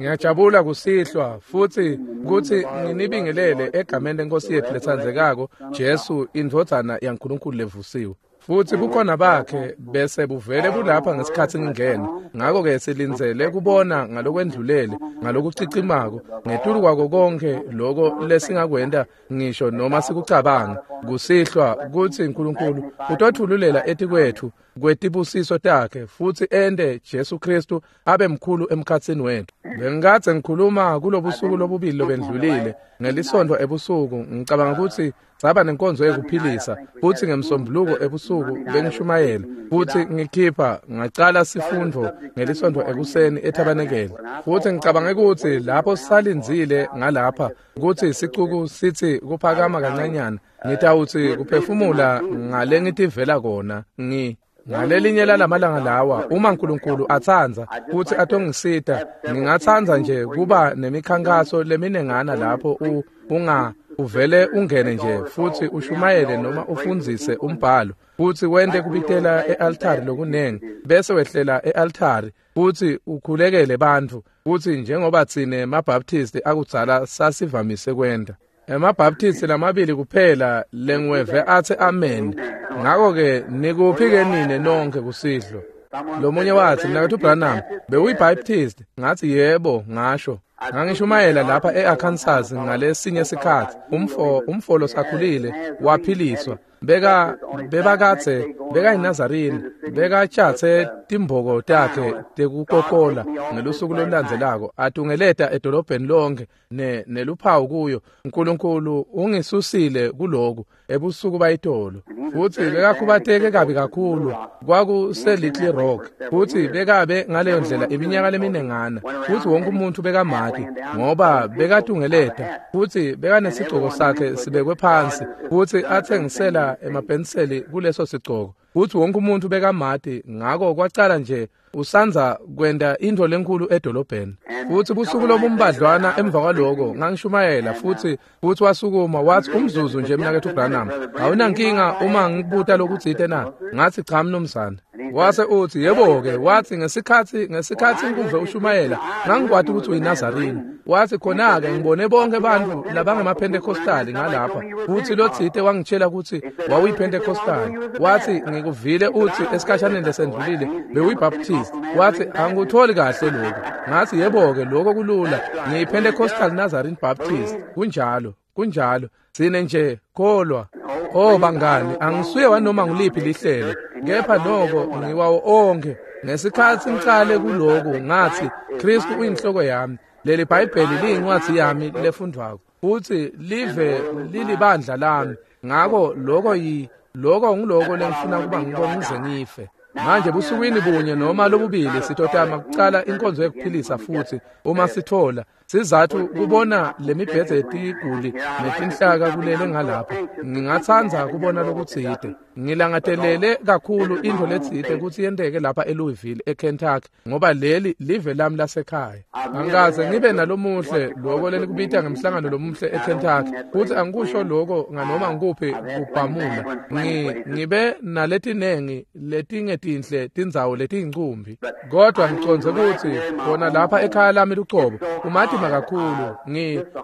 Ngiyajabula kusihlwa futhi kutsi nginibingelele egameni lenkosi yethu letsandzekako Jesu indvodzana yaNkulunkulu levusiwe. Futhi bukhona bakhe bese buvele bulapha ngesikhatsi ngingena. Ngako-ke silindzele kubona ngalokwendlulele, ngalokucicimako, ngetulu kwako konkhe loko lesingakwenta ngisho noma sikucabanga kusihlwa kutsi uNkulunkulu utotfululela etikwetfu kwetibusiso takhe futsi ente Jesu Kristu abe mkhulu emkhatsini wetfu. Bengikadze ngikhuluma kulobusuku lobubili lobendlulile ngelisontfo ebusuku, ngicabanga kutsi saba nenkonzo yekuphilisa futsi ngemsombuluko ebusuku bengishumayela futsi ngikhipha ngacala sifundvo ngelisontfo ekuseni ethabanekele. Futsi ngicabange kutsi lapho sisalindzile ngalapha kutsi sicuku sitsi kuphakama kancanyana, ngitawutsi kuphefumula ngale ngitivela kona ngalelinye lalamalanga lawa, uma uNkulunkulu atsandza futsi atongisita, ngingatsandza nje kuba nemikhankaso leminengana lapho uvele ungene nje futsi ushumayele noma ufundzise umbhalo futsi wente kubitela e-altari lokunengi, bese wehlela e-altari futsi ukhulekele bantfu, futsi njengoba tsine maBaptisti akudzala sasivamise kwenta. EmaBaptisti lamabili kuphela lengiweve atsi amen. Ngako-ke nikuphi-ke nine nonke kusihlwa? Lomunye watsi, Mnaketfu Branham, bewuyiBaptist? Ngatsi yebo, ngasho. Ngangishumayela lapha e-Arkansas ngalesinye sikhatsi. Umfo losakhulile waphiliswa. Bebakadze bekayiNazarini, bekatjatse timboko takhe tekukokola ngelusuku lolulandzelako atungeleta edolobheni lonke neluphawu kuyo. uNkulunkulu ungisusile kuloku ebusuku bayitolo. Futsi bekakhubateke kabi kakhulu, kwakuse Little Rock, futsi bekabe ngaleyo ndlela iminyaka leminengana, futsi wonke umuntu bekamati ngoba bekatungeleta, futsi bekanesigcoko sakhe sibekwe phansi, futsi athengisela emapenseli kuleso sigcoko, futsi wonke umuntu bekamati. Ngako kwacala nje usandza kwenta intfo lenkhulu edolobheni. Futsi busuku lobumbadlwana emva kwaloko ngangishumayela futsi wasukuma watsi, umzuzu nje Mnaketfu Branham, awunankinga uma ngikubuta lokutsite na? Ngatsi cha mnumzane. Wase utsi yebo-ke. Watsi ngesikhatsi ngikuve ushumayela ngangikwati kutsi uyiNazarini. Watsi khona-ke ngibone bonke bantfu labangemaPhentekhostali ngalapha, futsi lotsite wangitshela kutsi wawuyiPhentekhostali. Watsi ngikuvile utsi esikhashaneni lesendlulile bewuyiBaptist. Watsi angikutholi kahle lokhu. Ngatsi yebo-ke, lokho kulula, ngiyiPentecostal Nazarene Baptist. Kunjalo, kunjalo. Sine nje kholwa. Oh bangani, angisuye wanoma nguliphi lihlelo, kepha noko ngiwawo onke. Ngesikhatsi ngicale kuloku ngatsi Kristu uyinhloko yami, leli Bhayibheli liyincwadzi yami lefundvwako, futsi live lilibandla lami. Ngako lokho ngiloko lengifuna kuba ngiko ngize ngife. Manje busukwini bunye noma lobubili sitotama kucala inkonzo yekuphilisa futhi uma sithola sizathu kubona lemibhedze yetiguli netinhlaka kulele ngalapha. Ngingatsandza kubona lokutsite. Ngilangatelele kakhulu intfo letsite kutsi yenteke lapha eLouisville eKentucky, ngoba leli live lami lasekhaya. Angikaze ngibe nalomuhle loko lenikubita ngemhlangano lomuhle eKentucky, futsi angikusho loko nganoma ngikuphi kubhamula. Ngibe naletinengi letingetinhle tindzawo letiyincumbi, kodwa ngicondze kutsi khona lapha ekhaya lami lucobo kumatima kakhulu.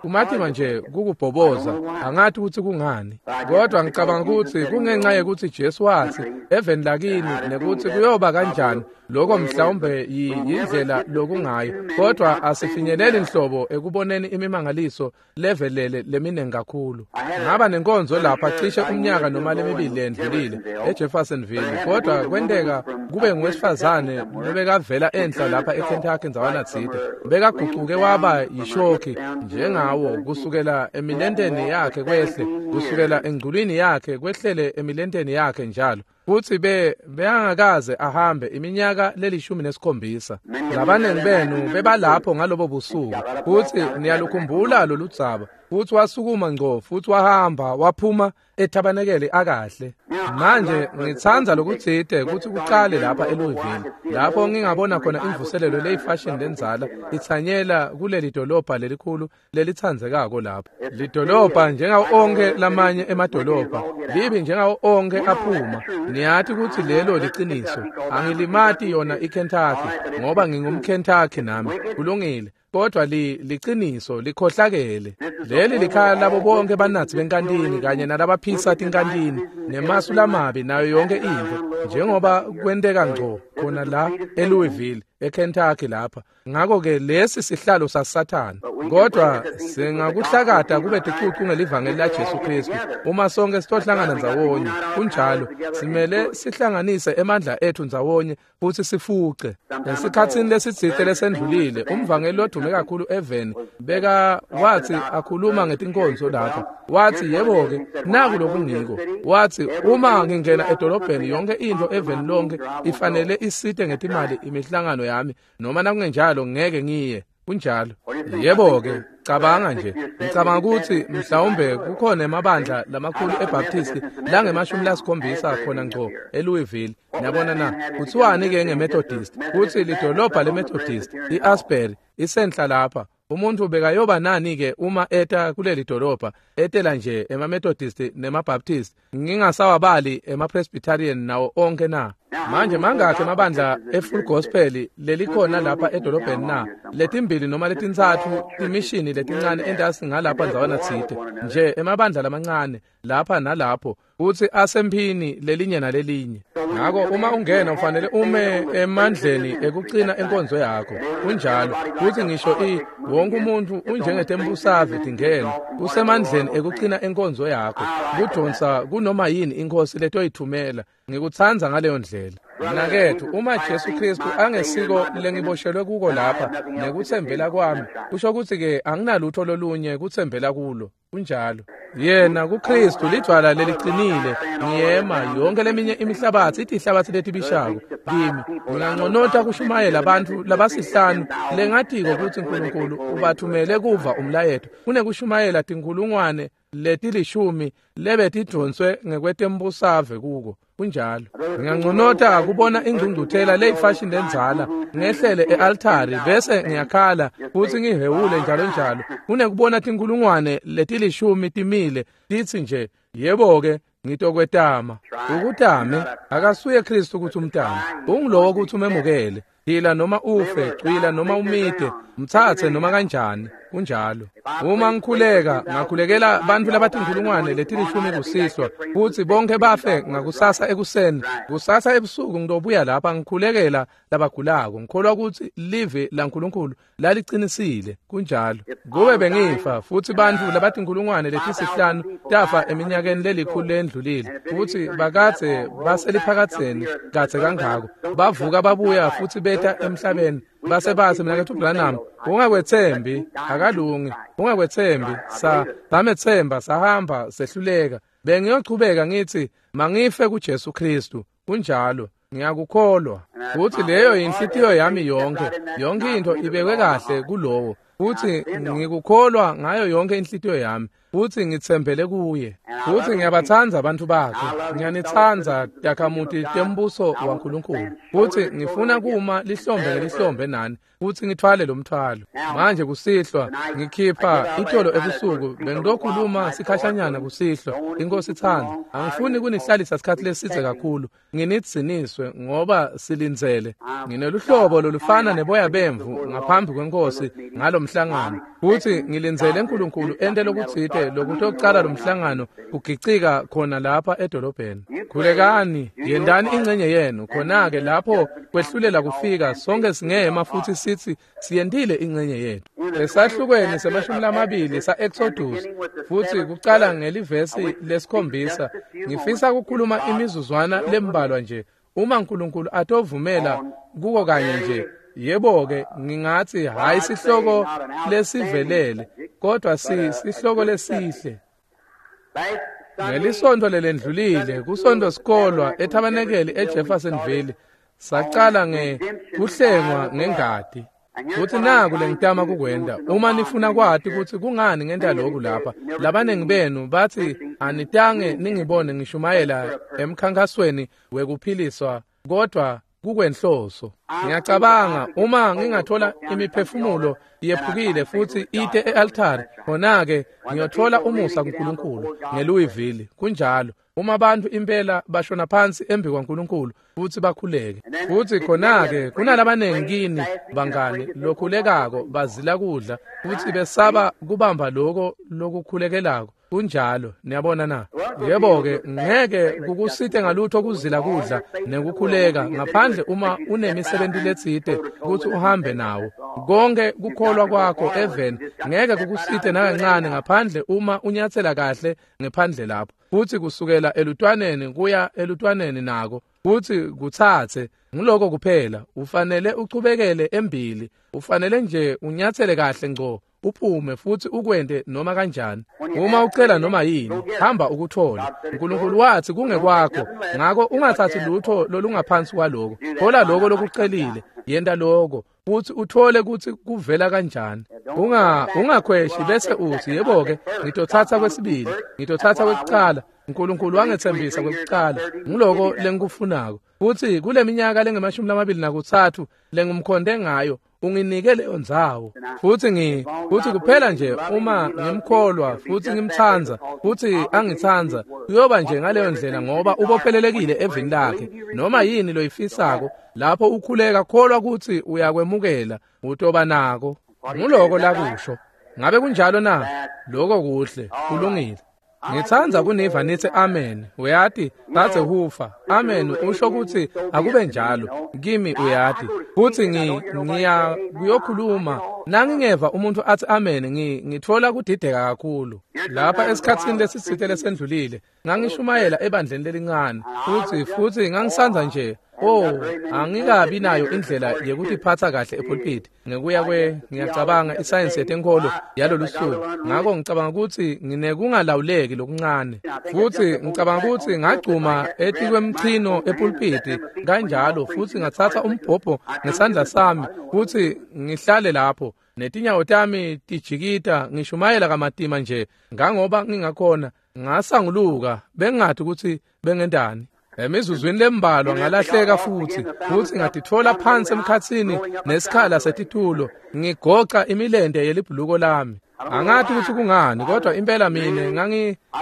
Kumatima nje kukubhoboza, angathi kutsi kungani, kodwa ngicabanga kutsi kungenxa yekutsi Jesu watsi eveni lakini nekutsi kuyoba kanjani. Lokho mhlawumbe yindlela lokungayo, kodwa asifinyeleli nhlobo ekuboneni imimangaliso levelele leminengi kakhulu. Ngaba nenkonzo lapha cishe umnyaka noma lemibili lendlulile eJeffersonville, kodwa kwenteka kube ngowesifazane lobekavela enhla lapha eKentucky ndzawana tsite. Bekagucuke waba yishoki njengawo kusukela emilenteni yakhe kwehle, kusukela engculwini yakhe kwehlele emilenteni yakhe njalo. Futsi beyangakaze ahambe iminyaka le17. Labanengi benu bebalapho ngalobo busuku, futsi niyalukhumbula loludzaba. Futsi wasukuma ngco futsi wahamba waphuma ethabanekele akahle. Manje ngitsandza lokutsite kutsi kucale lapha eLouisville, lapho ngingabona khona imvuselelo leyifashion lendzala itsanyela kuleli dolobha lelikhulu lelitsandzekako lapho. Lidolobha njengawo onke lamanye emadolobha, libi njengawo onke aphuma. Niyati kutsi lelo liciniso. Angilimati yona iKentucky ngoba ngingumKentucky nami. Kulungile. kodwa liciniso likhohlakele. Leli likhaya labo bonke banatsi benkantini kanye nalabaphisa tinkantini nemasu lamabi nayo yonke intfo, njengoba kwenteka ngco khona la eLouisville, eKentucky lapha. Ngakho-ke lesi sihlalo saSathane, kodwa singakuhlakata kube ticucu ngelivangeli laJesu Kristu uma sonke sitohlangana ndzawonye. Kunjalo, simele sihlanganise emandla ethu ndzawonye futhi sifuce. Esikhatsini lesitsite lesendlulile, umvangeli lodume kakhulu eveni beka wathi akhuluma ngetinkonzo lapha, wathi yebo-ke naku lokungiko. Wathi uma ngingena edolobheni yonke into eveni lonke ifanele isite ngetimali imihlangano yami, noma nakungenjalo ngeke ngiye. Kunjalo. Yebo-ke, cabanga nje. Ngicabanga ukuthi mhlawumbe kukhona emabandla lamakhulu eBaptist langema-70 khona ngco eLouisville. Niyabona na? Kuthiwani-ke ngeMethodist? Kuthi lidolobha leMethodist, i-Asbury, isenhla lapha. Umuntu bekayoba nani-ke uma eta kuleli dolobha, etela nje emaMethodist nemaBaptist, ngingasawabali emaPresbyterian nawo onke na? Manje mangakhi emabandla eFull Gospel lelikhona lapha edolobheni na? Letimbili noma letintsatfu timishini letincane entasi ngalapha ndzawana tsite, nje emabandla lamancane lapha nalapho, futsi asemphini lelinye nalelinye. Ngako uma ungena ufanele ume emandleni ekucina enkonzo yakho. Kunjalo. Futsi ngisho wonke umuntu unjengetembusave tingena, usemandleni ekucina enkonzo yakho, kudonsa kunoma yini inkosi letoyithumela. Ngikutsandza ngaleyo ndlela. Mnaketfu, uma Jesu Kristu angesiko lengiboshelwe kuko lapha nekutsembela kwami, kusho kutsi-ke anginalutho lolunye kutsembela kulo. Kunjalo. Yena kuKristu lidvwala leliqinile, ngiyema yonke leminye imihlabatsi itihlabatsi letibishako kimi. Nginganconota kushumayela bantfu labasihlanu lengatiko kutsi Nkulunkulu ubathumele kuva umlayeto kunekushumayela tinkhulungwane letilishumi lebetidvonswe ngekwetembusave kuko. Kunjalo. Nginganconota kubona ingcungcuthela leyifashini lendzala, ngehlele e-altari bese ngiyakhala futsi ngihewule njalo njalo, kunekubona tinkhulungwane letilishumi timile titsi nje yebo-ke ngitokwetama. Ukutame akasuye Kristu kutsi umtame, ungulowo kutsi umemukele. Phila noma ufe, cwila noma umite, mtsatse noma kanjani. Kunjalo. Uma ngikhuleka, ngakhulekela bantfu labatinkhulungwane letilishumi kusihlwa, futsi bonke bafe ngakusasa ekuseni. Kusasa ebusuku ngitobuya lapha ngikhulekela labagulako, ngikholwa kutsi livi laNkulunkulu lalicinisile. Kunjalo. Kube bengifa futsi bantfu labatinkhulungwane letisihlanu tafa eminyakeni lelikhulu lendlulile, futsi bakadze baseliphakadzeni kadze kangako, bavuka babuya futsi beta emhlabeni, base batsi mnaketfu Branham, ungakwetsembi, akalungi, ungakwetsembi. Sametsemba, sahamba, sehluleka. Bengiyochubeka ngithi mangife kuJesu Kristu. Kunjalo. Ngiyakukholwa. Futsi leyo inhlitiyo yami yonke, yonke into ibekwe kahle kulowo, futsi ngikukholwa ngayo yonke inhlitiyo yami, futsi ngitsembele kuye. Futsi ngiyabatsandza abantu bakhe, ngiyanitsandza takhamuti tembuso waNkulunkulu, futsi ngifuna kuma lihlombe ngelihlombe nani, futsi ngithwale lo mthwalo. Manje kusihlwa ngikhipha itolo ebusuku, bengitokhuluma sikhashanyana kusihlwa, inkosi itsandza. Angifuni kunihlalisa sikhatsi lesidze kakhulu, nginidziniswe ngoba silindzele. Ngineluhlobo lolufana neboya bemvu ngaphambi kwenkosi ngalomhlangano, futsi ngilindzele uNkulunkulu ente lokutsite lokutocala lomhlangano kugicika khona lapha edolobheni. Khulekani, yendani ingcenye yenu, khona-ke lapho kwehlulela kufika, sonke singema futsi sithi siyentile ingcenye yethu. Esahlukweni se-20 sa-Exodus, futsi kucala ngelivesi lesikhombisa, ngifisa kukhuluma imizuzwana lembalwa nje, uma uNkulunkulu atovumela kuko kanye nje. Yebo-ke, ngingatsi hhayi sihloko lesivelele, kodwa sihloko lesihle. Ngelisonto lelendlulile, kusonto sikolwa ethabanekeli eJeffersonville, sacala ngekuhlengwa ngengati. Futsi naku lengitama kukwenta, uma nifuna kwati kutsi kungani ngenta lokhu lapha, labaningi benu batsi anitange ningibone ngishumayela emkhankasweni wekuphiliswa, kodwa kukwenhloso. Ngiyacabanga uma ngingathola imiphefumulo yephukile futhi ite e-altari, khona-ke ngiyothola umusa kuNkulunkulu ngeLouisville. Kunjalo. Uma abantu impela bashona phansi embi kwaNkulunkulu futhi bakhuleke. Futhi khona-ke kunalabanengi kini bangani lokhulekako bazila kudla futhi besaba kubamba lokho lokukhulekelako. Kunjalo, niyabona na? Yebo-ke, ngeke kukusite ngalutho kuzila kudla nekukhuleka ngaphandle uma unemisebenzi letsite ukuthi uhambe nawo. Konke kukholwa kwakho even ngeke kukusite nakancane ngaphandle uma unyathela kahle ngephandle lapho. Futhi kusukela elutwaneni kuya elutwaneni nako futhi kuthathe ngiloko kuphela. Ufanele uchubekele embili, ufanele nje unyathele kahle ngco uphume futhi ukwente noma kanjani. Uma ucela noma yini, hamba ukuthole. uNkulunkulu wathi kungekwakho, ngakho ungathathi lutho lolungaphansi kwaloko. Thola lokho lokucelile, yenta lokho futhi uthole ukuthi kuvela kanjani. Ungakhweshi bese uthi yebo-ke ngitothatha kwesibili, ngitothatha kwekucala. uNkulunkulu wangethembisa kwekucala, ngiloko lengikufunako. Futhi kule minyaka lengamashumi 23 lengumkhonde ngayo, unginike leyo ndzawo. Futhi futhi kuphela nje uma ngimkholwa futhi ngimtsandza futhi angitsandza, kuyoba nje ngaleyo ndlela ngoba ubophelelekile evini lakhe. Noma yini loyifisako lapho ukhuleka, kholwa ukuthi uyakwemukela, utoba nako. Nguloko lakusho. Ngabe kunjalo na? Lokho kuhle, kulungile. Ngitsandza kuniva nithi amen. Uyati, Dzadze Hufa, amen usho ukuthi akube njalo kimi, uyati. Futhi ngiya kuyokhuluma nangingeva umuntu athi amen, ngithola kudideka kakhulu. Lapha esikhatsini lesitsite lesendlulile ngangishumayela ebandleni lelincane, futhi ngangisanza nje, oh, angikabi nayo indlela yekutiphatha kahle epulpit ngekuya kwe ngiyacabanga isayensi yetenkolo yalolu suku. Ngakho ngicabanga ukuthi nginekungalawuleki lokuncane, futhi ngicabanga ukuthi ngagcuma etikwemchino epulpiti kanjalo, futhi ngathatha umbhobho ngesandla sami futhi ngihlale lapho netinyawo tami tijikita, ngishumayela kamatima nje ngangoba ngingakhona. Ngasanguluka, bengathi ukuthi bengentani. Emizuzwini lembalwa ngalahleka futhi ngatitfola phansi emkhatsini nesikhala setitulo, ngigoca imilente yelibhuluko lami. Angathi ukuthi kungani, kodwa impela mina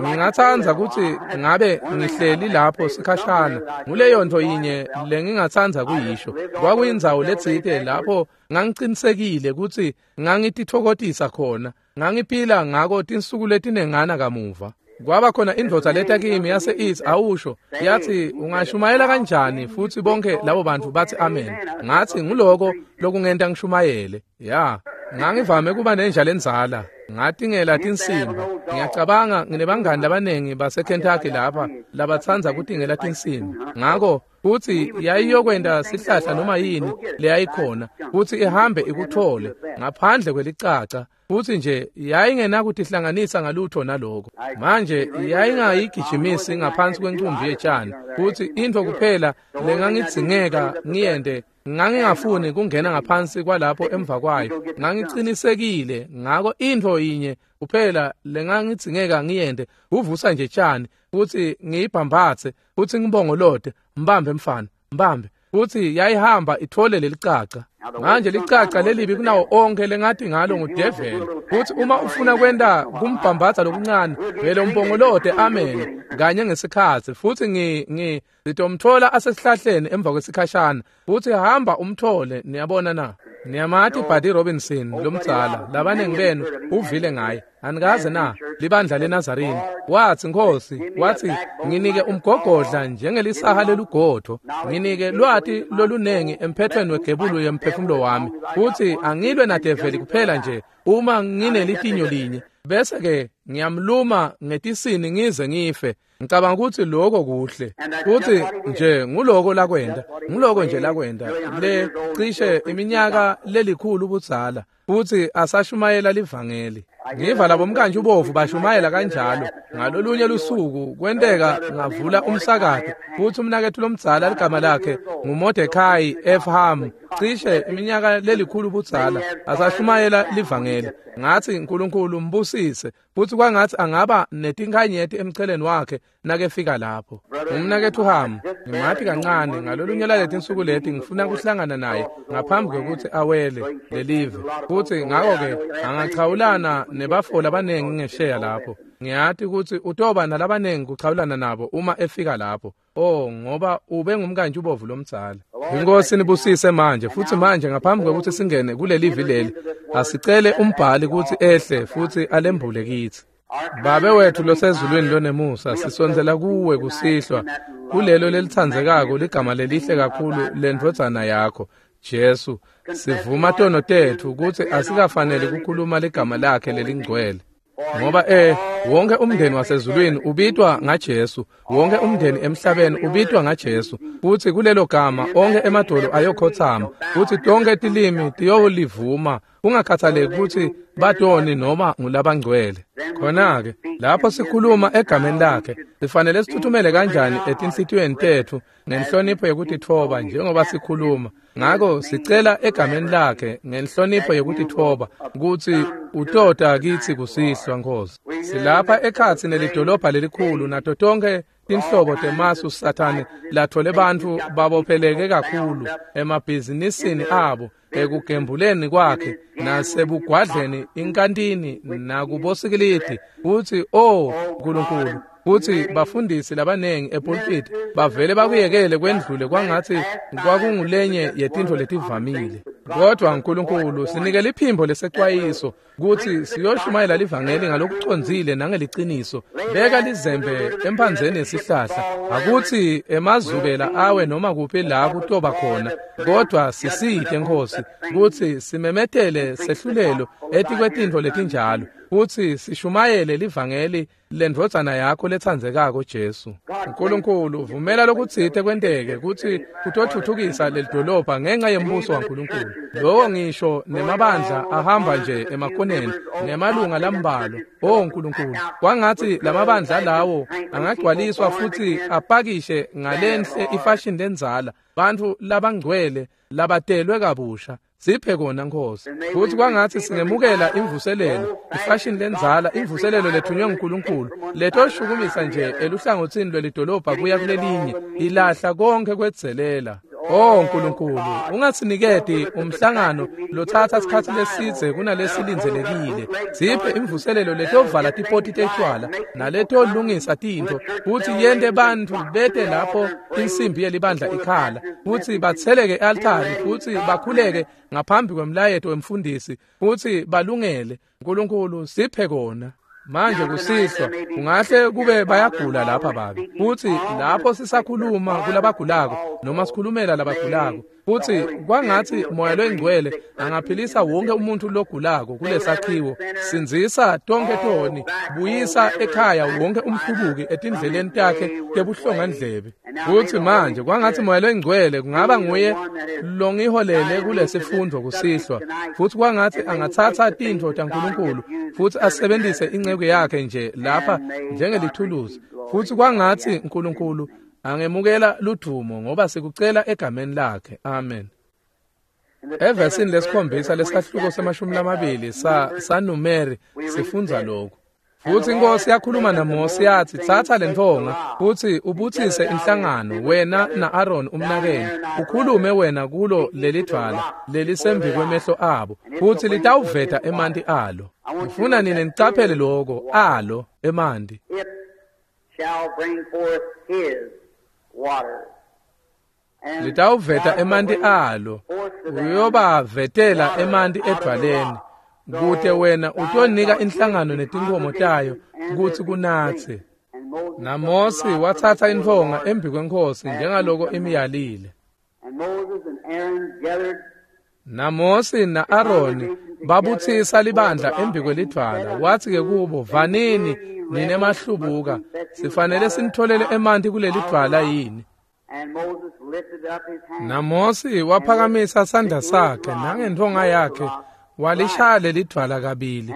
ngingatsandza ukuthi ngabe ngihleli lapho sikhashana. Nguleyo nto yinye lengingatsandza kuyisho. Kwakuyindzawo letsite lapho ngangicinisekile ukuthi ngangitithokotisa khona, ngangiphila ngako tinsuku letinengana kamuva. Kwaba khona indvodza leta kimi yase ithi, awusho, yathi ungashumayela kanjani futhi bonke labo bantu bathi amen. Ngathi nguloko lokungenta ngishumayele. Ya, ngangivame kuba nenja lenzala, ngatingela tinsimba. Ngiyacabanga nginebangani labanengi baseKentucky lapha labatsandza kutingela tinsimba. Ngakho futhi yayiyokwenta sihlahla noma yini leyayikhona futhi ihambe ikuthole ngaphandle kwelicaca. Futhi nje yayingenakutihlanganisa ngalutho naloko. Manje yayingayigijimisi ngaphansi kwencumbi yetshani. Futhi into kuphela lengangidzingeka ngiyente, ngangingafuni kungena ngaphansi kwalapho emva kwayo. Ngangicinisekile ngako into yinye kuphela lengangidzingeka ngiyente, uvusa nje tshani futhi ngiyibhambathe futhi ngibongolote, mbambe mfana, mbambe. Futhi yayihamba ithole lelicaca. Manje licaca lelibi kunawo onke lengathi ngalo ngudeveli. Futhi uma ufuna kwenta kumbhambatha lokuncane, vele umbongolote amen kanye ngesikhathi. Futhi ngitomthola asesihlahleni emva kwesikhashana. Futhi hamba umthole, niyabona na? Niyamati Buddy Robinson lomdzala, labanengi benu uvile ngaye. Anikaze na? Libandla leNazarini. Wathi Nkosi, wathi nginike umgogodla njengelisaha lelugodvo, nginike lwati lolunengi emphethweni wegebulu yemphefumulo wami. Futhi angilwe nadeveli kuphela nje uma nginelitinyo linye, bese ke ngiyamluma ngetisini ngize ngife. Ngicabanga ukuthi lokho kuhle. Futhi nje nguloko lakwenda, nguloko nje lakwenda le cishe iminyaka lelikhulu ubudzala, futhi asashumayela livangeli. Ngiva labo mkantshi ubovu bashumayela kanjalo. Ngalolunye lusuku kwenteka ngavula umsakato, futhi umnakethu lomdzala ligama lakhe nguMordecai F. Ham, cishe iminyaka lelikhulu ubudzala, asashumayela livangeli. Ngathi uNkulunkulu mbusise, futhi kwangathi angaba netinkanyeti emcheleni wakhe nakefika lapho. Umnaketfu Ham, ngimati kancane ngalolunye laletinsuku leti ngifuna kuhlangana naye ngaphambi kwekutsi awele lelive. Futsi ngako-ke angachawulana nebafo labanengi ngesheya lapho. Ngiyati kutsi utoba nalabanengi kuchawulana nabo uma efika lapho. Oh, ngoba ube ngumkantshi ubovu lomdzala. Inkosi nibusise manje, futsi manje ngaphambi kwekutsi singene kulelivi leli, asicele umbhali kutsi ehle futsi alembule kitsi. Babe wethu losezulwini lonemusa, sisondzela kuwe kusihlwa kulelo lelitsandzekako ligama lelihle kakhulu lendvodzana yakho Jesu. Sivuma tono tetfu kutsi asikafanele kukhuluma ligama lakhe lelingcwele. Ngoba wonke umndeni wasezulwini ubitwa ngaJesu, wonke umndeni emhlabeni ubitwa ngaJesu, futsi kulelo gama onke emadolo ayokhotsama, futsi tonke tilimi tiyolivuma, kungakhathaleki kutsi batoni noma ngulabangcwele. Khona-ke lapho sikhuluma egameni lakhe, sifanele sithuthumele kanjani etinhlitiyweni tetfu ngenhlonipho yekutitfoba njengoba sikhuluma. Ngako sicela egameni lakhe ngenhlonipho yekutitfoba kutsi utota kitsi kusihlwa, Nkosi. Silapha ekhatsi nelidolobha lelikhulu nato tonke tinhlobo temasu Sathane lathole bantfu babopheleke kakhulu emabhizinisini abo, ekugembuleni kwakhe nasebugwadleni, inkantini nakubosikilidi. Futsi oh Nkulunkulu, futsi bafundisi labanengi epulpit bavele bakuyekele kwendlule kwangatsi kwakungulenye yetintfo letivamile. Kodwa Nkulunkulu, sinike liphimbo lesecwayiso kutsi siyoshumayela livangeli ngalokucondzile nangeliciniso. Beka lizembe emphandzeni yesihlahla, akutsi emazubela awe noma kuphi la kutoba khona, kodwa sisite Nkosi kutsi simemetele sehlulelo etikwetintfo letinjalo, kutsi sishumayele livangeli lendvodzana yakho letsandzekako Jesu. Nkulunkulu, vumela lokutsite kwenteke kutsi kutothuthukisa lelidolobha ngenxa yembuso waNkulunkulu. Lowo ngisho nemabandla ahamba nje emakoneni ngemalunga lambalwa. Oh Nkulunkulu, kwangatsi lamabandla lawo angagcwaliswa futsi apakishe ngalenhle ifashion lendzala, bantfu labangcwele labatelwe kabusha. Siphe kona Nkosi. Futsi kwangatsi singemukela imvuselelo, ifashion lendzala, imvuselelo lethunywe nguNkulunkulu, letoshukumisa nje eluhlangotsini lwelidolobha kuya kulelinye, ilahla konke kwedzelela. Oh Nkulunkulu, ungasiniketi umhlangano lotsatsa sikhatsi lesidze kunalesilindzelekile. Siphe imvuselelo letovala tipoti tetshwala naletolungisa tintfo, futsi yente bantfu bete lapho insimbi yelibandla ikhala, futsi batseleke e-altari futsi bakhuleke ngaphambi kwemlayeto wemfundisi, futsi balungele. Nkulunkulu, siphe kona. Manje kusihlwa kungahle kube bayagula lapha babe, futsi lapho sisakhuluma kulabagulako noma sikhulumela labagulako, futsi kwangatsi Moya loyingcwele angaphilisa wonke umuntu logulako kulesakhiwo. Sindzisa tonke toni, buyisa ekhaya wonke umhlubuki etindleleni takhe tebuhlongandlebe. Futsi manje kwangatsi Moya loyingcwele kungaba nguye longiholele kulesifundvo kusihlwa, futsi kwangatsi angatsatsa tintfo taNkulunkulu futsi asebentise inceku yakhe nje lapha njengelithuluzi. Futsi kwangatsi Nkulunkulu angemukela ludumo, ngoba sikucela egameni lakhe. Amen. Evesini lesikhombisa lesahluko se-20 saNumeri sifundza lokhu. Futsi inkosi yakhuluma naMose yathi, tsatsa lentfonga futsi ubutsise inhlangano, wena na-Aaron umnakenu, ukhulume wena kulo lelidvwala lelisembi kwemehlo abo, futsi litawuveta emanti alo. Ngifuna nine nicaphele loko, alo emanti. Litawuveta emanti alo, uyobavetela emanti edvwaleni, kute wena utonika inhlangano netinkhomo tayo kutsi kunatse. NaMose watsatsa intfonga embi kweNkhosi njengaloko imyalile. NaMose na-Aroni babutsisa libandla embi kwelidvwala, wathi-ke kubo, vanini nine mahlubuka, sifanele sinitholele emanti kulelidvwala yini? NaMose waphakamisa sandla sakhe nangentfonga yakhe walishaya lelidvwala kabili,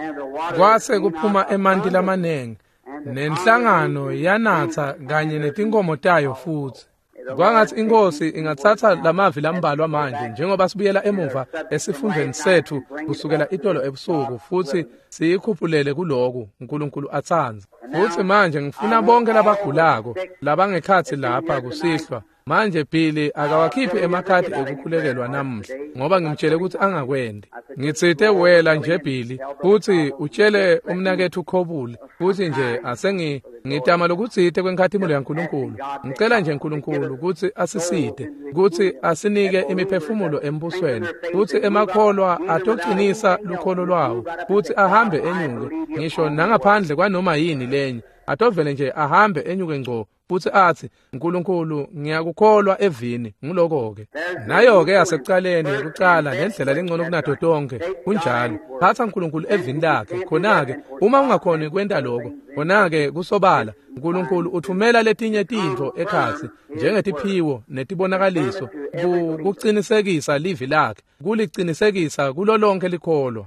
kwase kuphuma emanti lamanengi, nenhlangano yanatsa kanye netinkhomo tayo futsi. Kwangathi iNkosi ingatsatsa lamavi lambalwa manje njengoba sibuyela emuva esifundweni sethu kusukela itolo ebusuku futhi siyikhuphulele kuloku uNkulunkulu atsandza. Futhi manje ngifuna bonke labagulako labangekhatsi lapha kusihlwa. Manje Billy akawakhiphi emakhadi ekukhulekelwa namuhla ngoba ngimtshele ukuthi angakwendi. Ngitsite wela nje Billy futhi utshele umnakethu Khobule futhi nje asengi ngitama lokutsite kwenkhatimulo yaNkulunkulu. Ngicela nje uNkulunkulu ukuthi asisite, ukuthi asinike imiphefumulo embusweni, futhi emakholwa atoqinisa lukholo lwawo, futhi ahambe enyuke ngisho nangaphandle kwanoma yini lenye. Atovele nje ahambe enyuke ngco futhi athi uNkulunkulu ngiyakukholwa evini. Ngiloko-ke nayo-ke yasekucaleni kucala ngendlela lengcono kunato tonke. Kunjalo, phatha uNkulunkulu evini lakhe. Khona-ke uma ungakhoni kwenta lokho, khona-ke kusobala uNkulunkulu uthumela letinye tintfo ekhatsi njengetiphiwo netibonakaliso kucinisekisa livi lakhe, kulicinisekisa kulo lonke likholwa.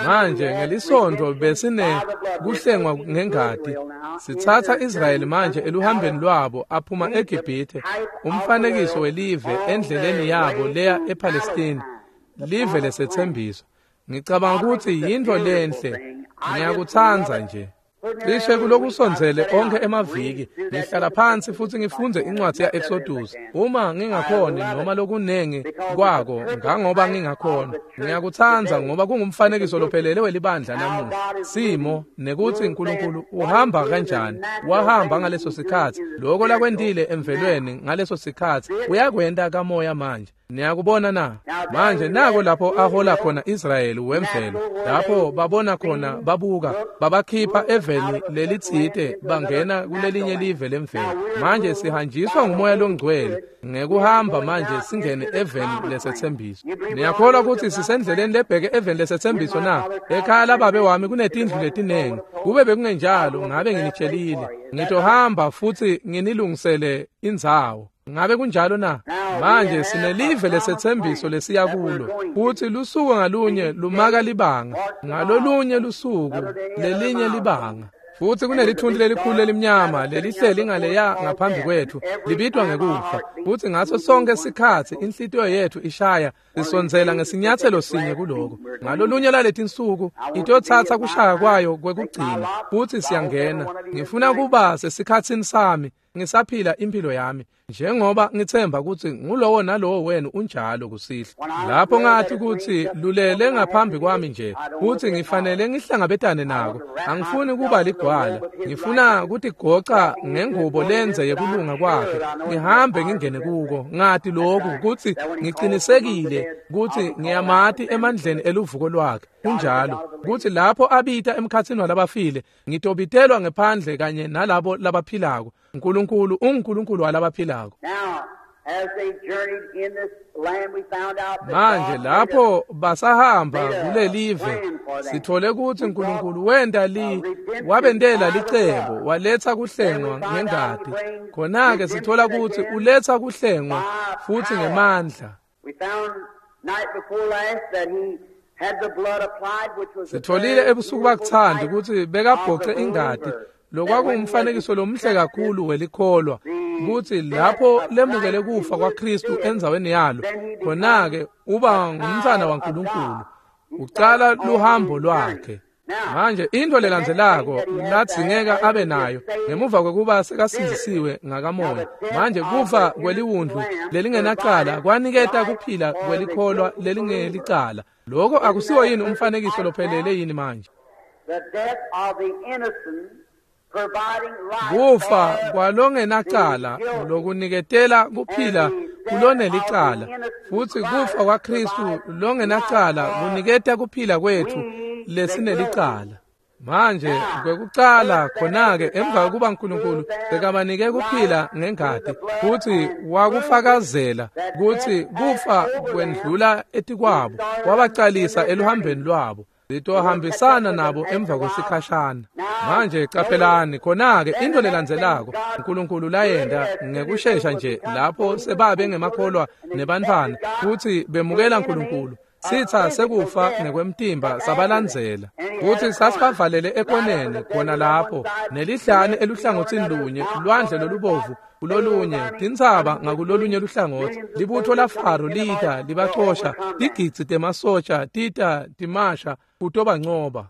Manje ngelisonto besine kuhlengwa ngengati. Sitsatsa Israyeli manje eluhambeni lwabo aphuma eGibhithe, umfanekiso welive endleleni yabo leya ePalestine, live lesethembiso. Ngicabanga ukuthi yintfo lenhle, ngiyakutsandza nje. Cishe kulokusondzele onke emaviki ngihlala phansi futhi ngifundze incwadi ya-Exodus. Uma ngingakhoni noma lokunengi kwako ngangoba ngingakhona, ngiyakutsandza ngoba kungumfanekiso lophelele welibandla namuhla. Simo nekuthi uNkulunkulu uhamba kanjani, wahamba ngaleso sikhathi, lokho lakwentile emvelweni ngaleso sikhathi uyakwenta kamoya manje. Niyakubona na? Manje nako lapho ahola khona Israyeli wemvelo, lapho babona khona babuka, babakhipha eveni lelitsite bangena kulelinye live lemvelo. Manje sihanjiswa ngumoya longcwele ngekuhamba manje singene eveni lesethembiso. Niyakholwa ukuthi sisendleleni lebheke eveni lesethembiso na? Ekhaya lababe wami kunetindlu letinengi. Kube bekungenjalo ngabe nginitshelile. Ngitohamba futhi nginilungisele indzawo. Ngabe kunjalo na? Manje sinelive lesethembiso lesiya kulo, futhi lusuku ngalunye lumaka libanga, ngalolunye lusuku lelinye libanga. Futhi kunelithunti lelikhulu lelimnyama lelihleli ngaleya ngaphambi kwethu, libitwa ngekufa. Futhi ngaso sonke sikhatsi inhlitiyo yethu ishaya isondzela ngesinyathelo sinye kuloko. Ngalolunye laletinsuku itotsatsa kushaya kwayo kwekugcina, futhi siyangena. Ngifuna kuba sesikhatsini sami ngisaphila impilo yami njengoba ngithemba ukuthi ngulowo nalowo wenu unjalo kusihlwa. Lapho ngathi ukuthi lulele ngaphambi kwami nje futhi ngifanele ngihlangabetane nako. Angifuni kuba ligwala, ngifuna kutigoca ngengubo lenze yekulunga kwakhe, ngihambe ngingene kuko. Ngathi lokhu ukuthi ngicinisekile ukuthi ngiyamati emandleni eluvuko lwakhe. Kunjalo ukuthi lapho abita emkhatsini walabafile ngitobitelwa ngephandle kanye nalabo labaphilako. uNkulunkulu unguNkulunkulu walabaphilako. Manje lapho basahamba kulelive sithole ukuthi uNkulunkulu wenta wabentela licebo, waletha kuhlengwa ngengati. Khona-ke sithola ukuthi uletha kuhlengwa futhi ngemandla. Sitholile ebusuku bakuthanda ukuthi bekabhoce ingati, lokwakungumfanekiso lomhle kakhulu welikholwa, ukuthi lapho lemukele kufa kwaKristu endzaweni yalo, khona-ke uba ngumntwana waNkulunkulu, ucala luhambo lwakhe. Manje into lelandzelako ladzingeka abe nayo ngemuva kwekuba sekasindzisiwe ngakamoya. Manje kufa kweliwundlu lelingenacala kwaniketa kuphila kwelikholwa lelingelicala. Lokho akusiwo yini umfanekiso lophelele yini manje? Kufa kwalongenacala lokuniketela kuphila kulonelicala, futhi kufa kwaKristu longenacala kuniketa kuphila kwethu lesinelicala. Manje kwekucala khona-ke emva kokuba uNkulunkulu sekabanike kuphila ngengati futhi wakufakazela ukuthi kufa kwendlula etikwabo, wabacalisa eluhambeni lwabo. Sitohambisana nabo emva kwesikhashana. Manje caphelani khona-ke into lelandzelako uNkulunkulu layenta ngekushesha nje lapho sebabe ngemakholwa nebantfwana futhi bemukela uNkulunkulu. Sitsa sekufa ngekwemtimba sabalandzela, kutsi sasibavalele ekoneni khona lapho, nelihlane eluhlangotsini lunye, lwandle lolubovu kulolunye, tintsaba ngakulolunye luhlangotsi. Libutfo laFaro lita libacosha, tigidzi temasotja tita timasha kutobancoba.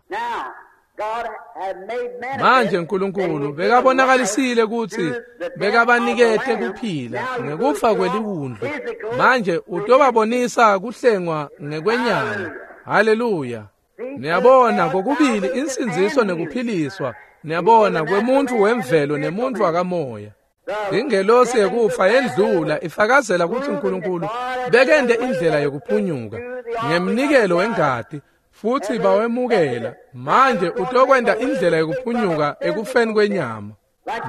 Manje Nkulunkulu bekabonakalisile kutsi bekabanikete kuphila ngekufa kweliwundlu. Manje utobabonisa kuhlengwa ngekwenyama. Haleluya. Niyabona kokubili insindziso nekuphiliswa. Niyabona kwemuntfu wemvelo nemuntfu wakamoya. Ingelosi yekufa yendlula ifakazela kutsi Nkulunkulu bekente indlela yokuphunyuka ngemnikelo wengati, futsi bawemukela. Manje utokwenta indlela yokuphunyuka ekufeni kwenyama.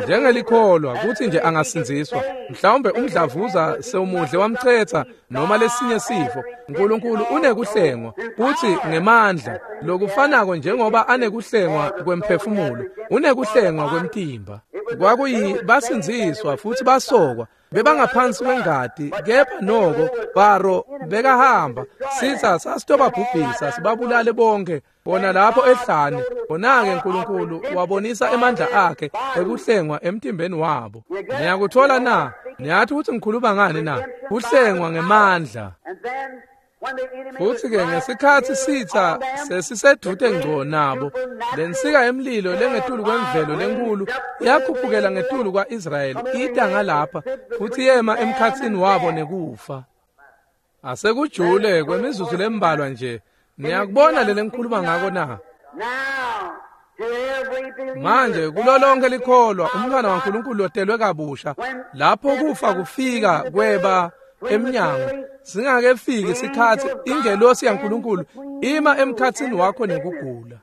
Njengelikholwa kutsi nje angasindziswa, mhlawumbe umdlavuza sewumudle wamcetsa noma lesinye sifo, Nkulunkulu unekuhlengwa kutsi ngemandla lokufanako njengoba anekuhlengwa kwemphefumulo, unekuhlengwa kwemtimba. Kwakuyi basindziswa futsi basokwa, bebangaphansi kwengati, kepha noko Faro bekahamba. Sitsa sasitobabhubhisa sibabulale bonke bona lapho ehlane. Khona-ke Nkulunkulu wabonisa emandla akhe ekuhlengwa emtimbeni wabo. Niyakuthola na? Niyathi ukuthi ngikhuluma ngani na? Kuhlengwa ngemandla. Futsi-ke ngesikhatsi sitsa sesisedvute ngco nabo, lensika yemlilo lengetulu kwemvelo lenkulu yakhuphukela ngetulu kwa-Israyeli ita ngalapha futsi yema emkhatsini wabo nekufa. Asekujule kwemizuzu lembalwa nje. Niyakubona lele ngikhuluma ngako na? Manje kulo lonke likholwa umntwana waNkulunkulu lotelwe kabusha, lapho kufa kufika kweba emnyango, singakefiki isikhatsi ingelosi yaNkulunkulu ima emkhatsini wakho nekugula.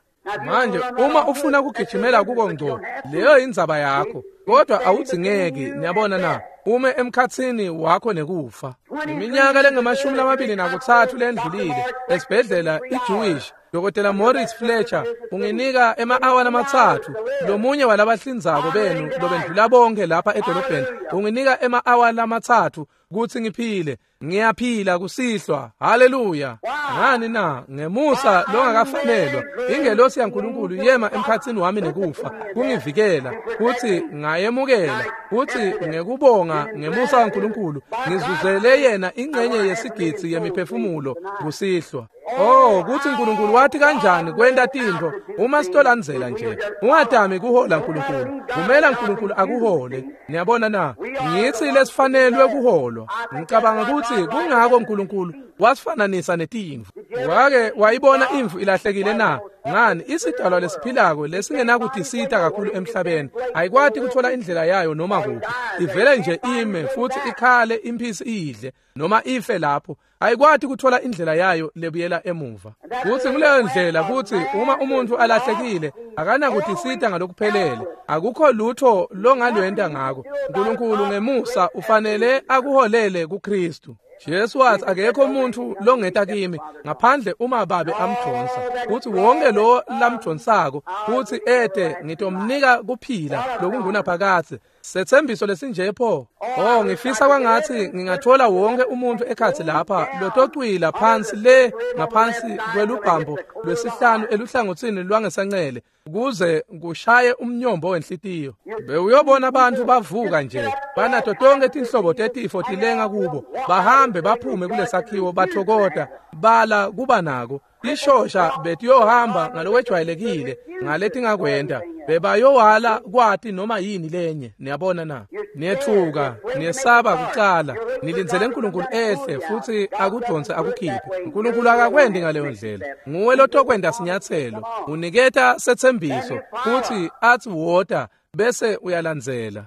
Manje uma ufuna kugijimela kuko ngco, leyo indzaba yakho, kodwa awudzingeki. Niyabona na? Ume emkhatsini wakho nekufa. Iminyaka lengamashumi 23 lendlulile esibhedlela iJewish, Dr. Morris Fletcher unginika ema-awa 3, lomunye walabahlinzako benu lobendlula bonke lapha edolobheni, unginika ema-awa 3 kutsi ngiphile. Ngiyaphila kusihlwa. Haleluya. Ngani na? Ngemusa longakafanelwa, ingelosi yaNkulunkulu yema emkhatsini wami nekufa kungivikela, kutsi ngayemukela, kutsi ngekubonga ngemusa waNkulunkulu ngizuzele yena ingcenye yesigidzi yemiphefumulo kusihlwa. Oh, kutsi Nkulunkulu wathi kanjani kwenta tintfo uma sitolandzela nje. Ungatami kuhola Nkulunkulu, vumela Nkulunkulu akuhole. Niyabona na? Ngitsi lesifanelwe kuholwa. Ngicabanga kutsi kungako Nkulunkulu wasifananisa netimvu. Wake wayibona imvu ilahlekile na? Ngani, isidalwa lesiphilako lesingenakutisita kakhulu emhlabeni ayikwati kuthola indlela yayo noma kuphi. Ivele nje ime futsi ikhale imphisi iyidle noma ife lapho. Ayikwati kuthola indlela yayo lebuyela emuva. Kutsi nguleyo ndlela kutsi uma umuntfu alahlekile akanakutisita ngalokuphelele, akukho lutho longalwenta ngako. Nkulunkulu ngemusa ufanele akuholele kuKristu. Jesu wathi akekho umuntu longeta kimi ngaphandle uma babe amdonsa, kutsi wonke lo lamdonsako kutsi ete ngitomnika kuphila lokungunaphakadze. Setsembiso lesinje pho. Oh, ngifisa kwangatsi ngingathola wonke umuntu ekhatsi lapha lotocwila phansi le ngaphansi kwelubhambo lwesihlanu eluhlangotsini lwangesancele kuze kushaye umnyombo wenhlitiyo. Bewuyobona abantu bavuka nje banato tonke tinhlobo tetifo tilenga kubo, bahambe baphume kulesakhiwo bathokota bala kuba nako. Tishosha betiyohamba ngalokwejwayelekile ngaletingakwenta, bebayowala kwati noma yini lenye. Niyabona na? Niyethuka, niyesaba kucala, nilindzele Nkulunkulu ehle futsi akudonse akukhiphe. Nkulunkulu akakwendi ngaleyo ndlela. Nguwe lotokwenta sinyatselo, uniketa setsembiso futsi atsi wota, bese uyalandzela.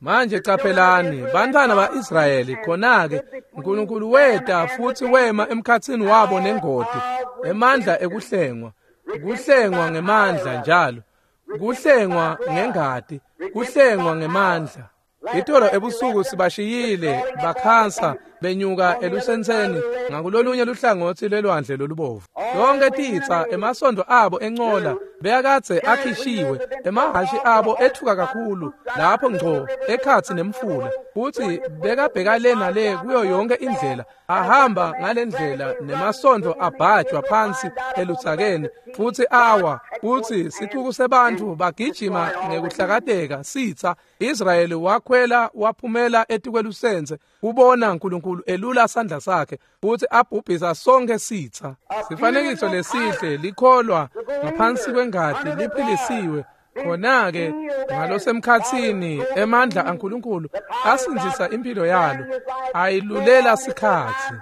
Manje caphelani, bantfwana ba-Israyeli, khona-ke Nkulunkulu weta futsi wema emkhatsini wabo nengoti, emandla ekuhlengwa, kuhlengwa ngemandla njalo, kuhlengwa ngengati, kuhlengwa ngemandla. Itolo ebusuku sibashiyile bakhansa benyuka elusentseni ngakulolunye luhlangotsi lwelwandle lolubovu. Yonke titsa emasondo abo encola beyakadze akhishiwe, emahhashi abo ethuka kakhulu lapho ngco ekhatsi nemfula, futsi bekabheka le nale kuyo yonke indlela, ahamba ngalendlela nemasondo abhajwa phansi eludzakeni futsi awa, futsi sicuku sebantfu bagijima ngekuhlakateka sitsa. Israyeli wakhwela waphumela etikwelusense kubona uNkulunkulu elula sandla sakhe futhi abhubhisa sonke sitsa. Sifanekiso lesihle likholwa ngaphansi kwengati liphilisiwe. Khona-ke ngalosemkhatsini emandla aNkulunkulu asindzisa impilo yalo, ayilulela sikhatsi.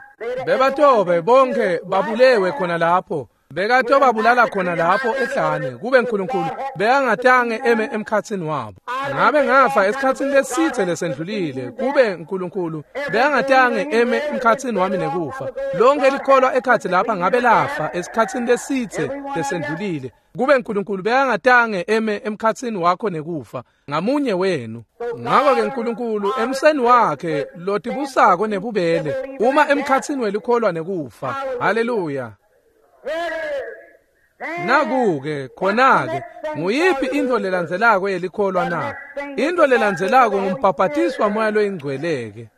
Bebatobe bonke babulewe khona lapho, bekatobabulala khona lapho ehlane, kube uNkulunkulu bekangatange eme emkhatsini wabo. Ngabe ngafa esikhatsini lesitse lesendlulile, kube uNkulunkulu bekangatange eme emkhatsini wami nekufa. Lonke likholwa ekhatsi lapha ngabe lafa esikhatsini lesitse lesendlulile, kube uNkulunkulu bekangatange eme emkhatsini wakho nekufa ngamunye wenu. Ngakho-ke uNkulunkulu emseni wakhe lotibusako nebubele uma emkhatsini welikholwa nekufa. Haleluya. Naku-ke khona-ke nguyiphi intfo lelandzelako yelikholwa na? Intfo lelandzelako ngumbhabhatiswa moya loyingcwele-ke.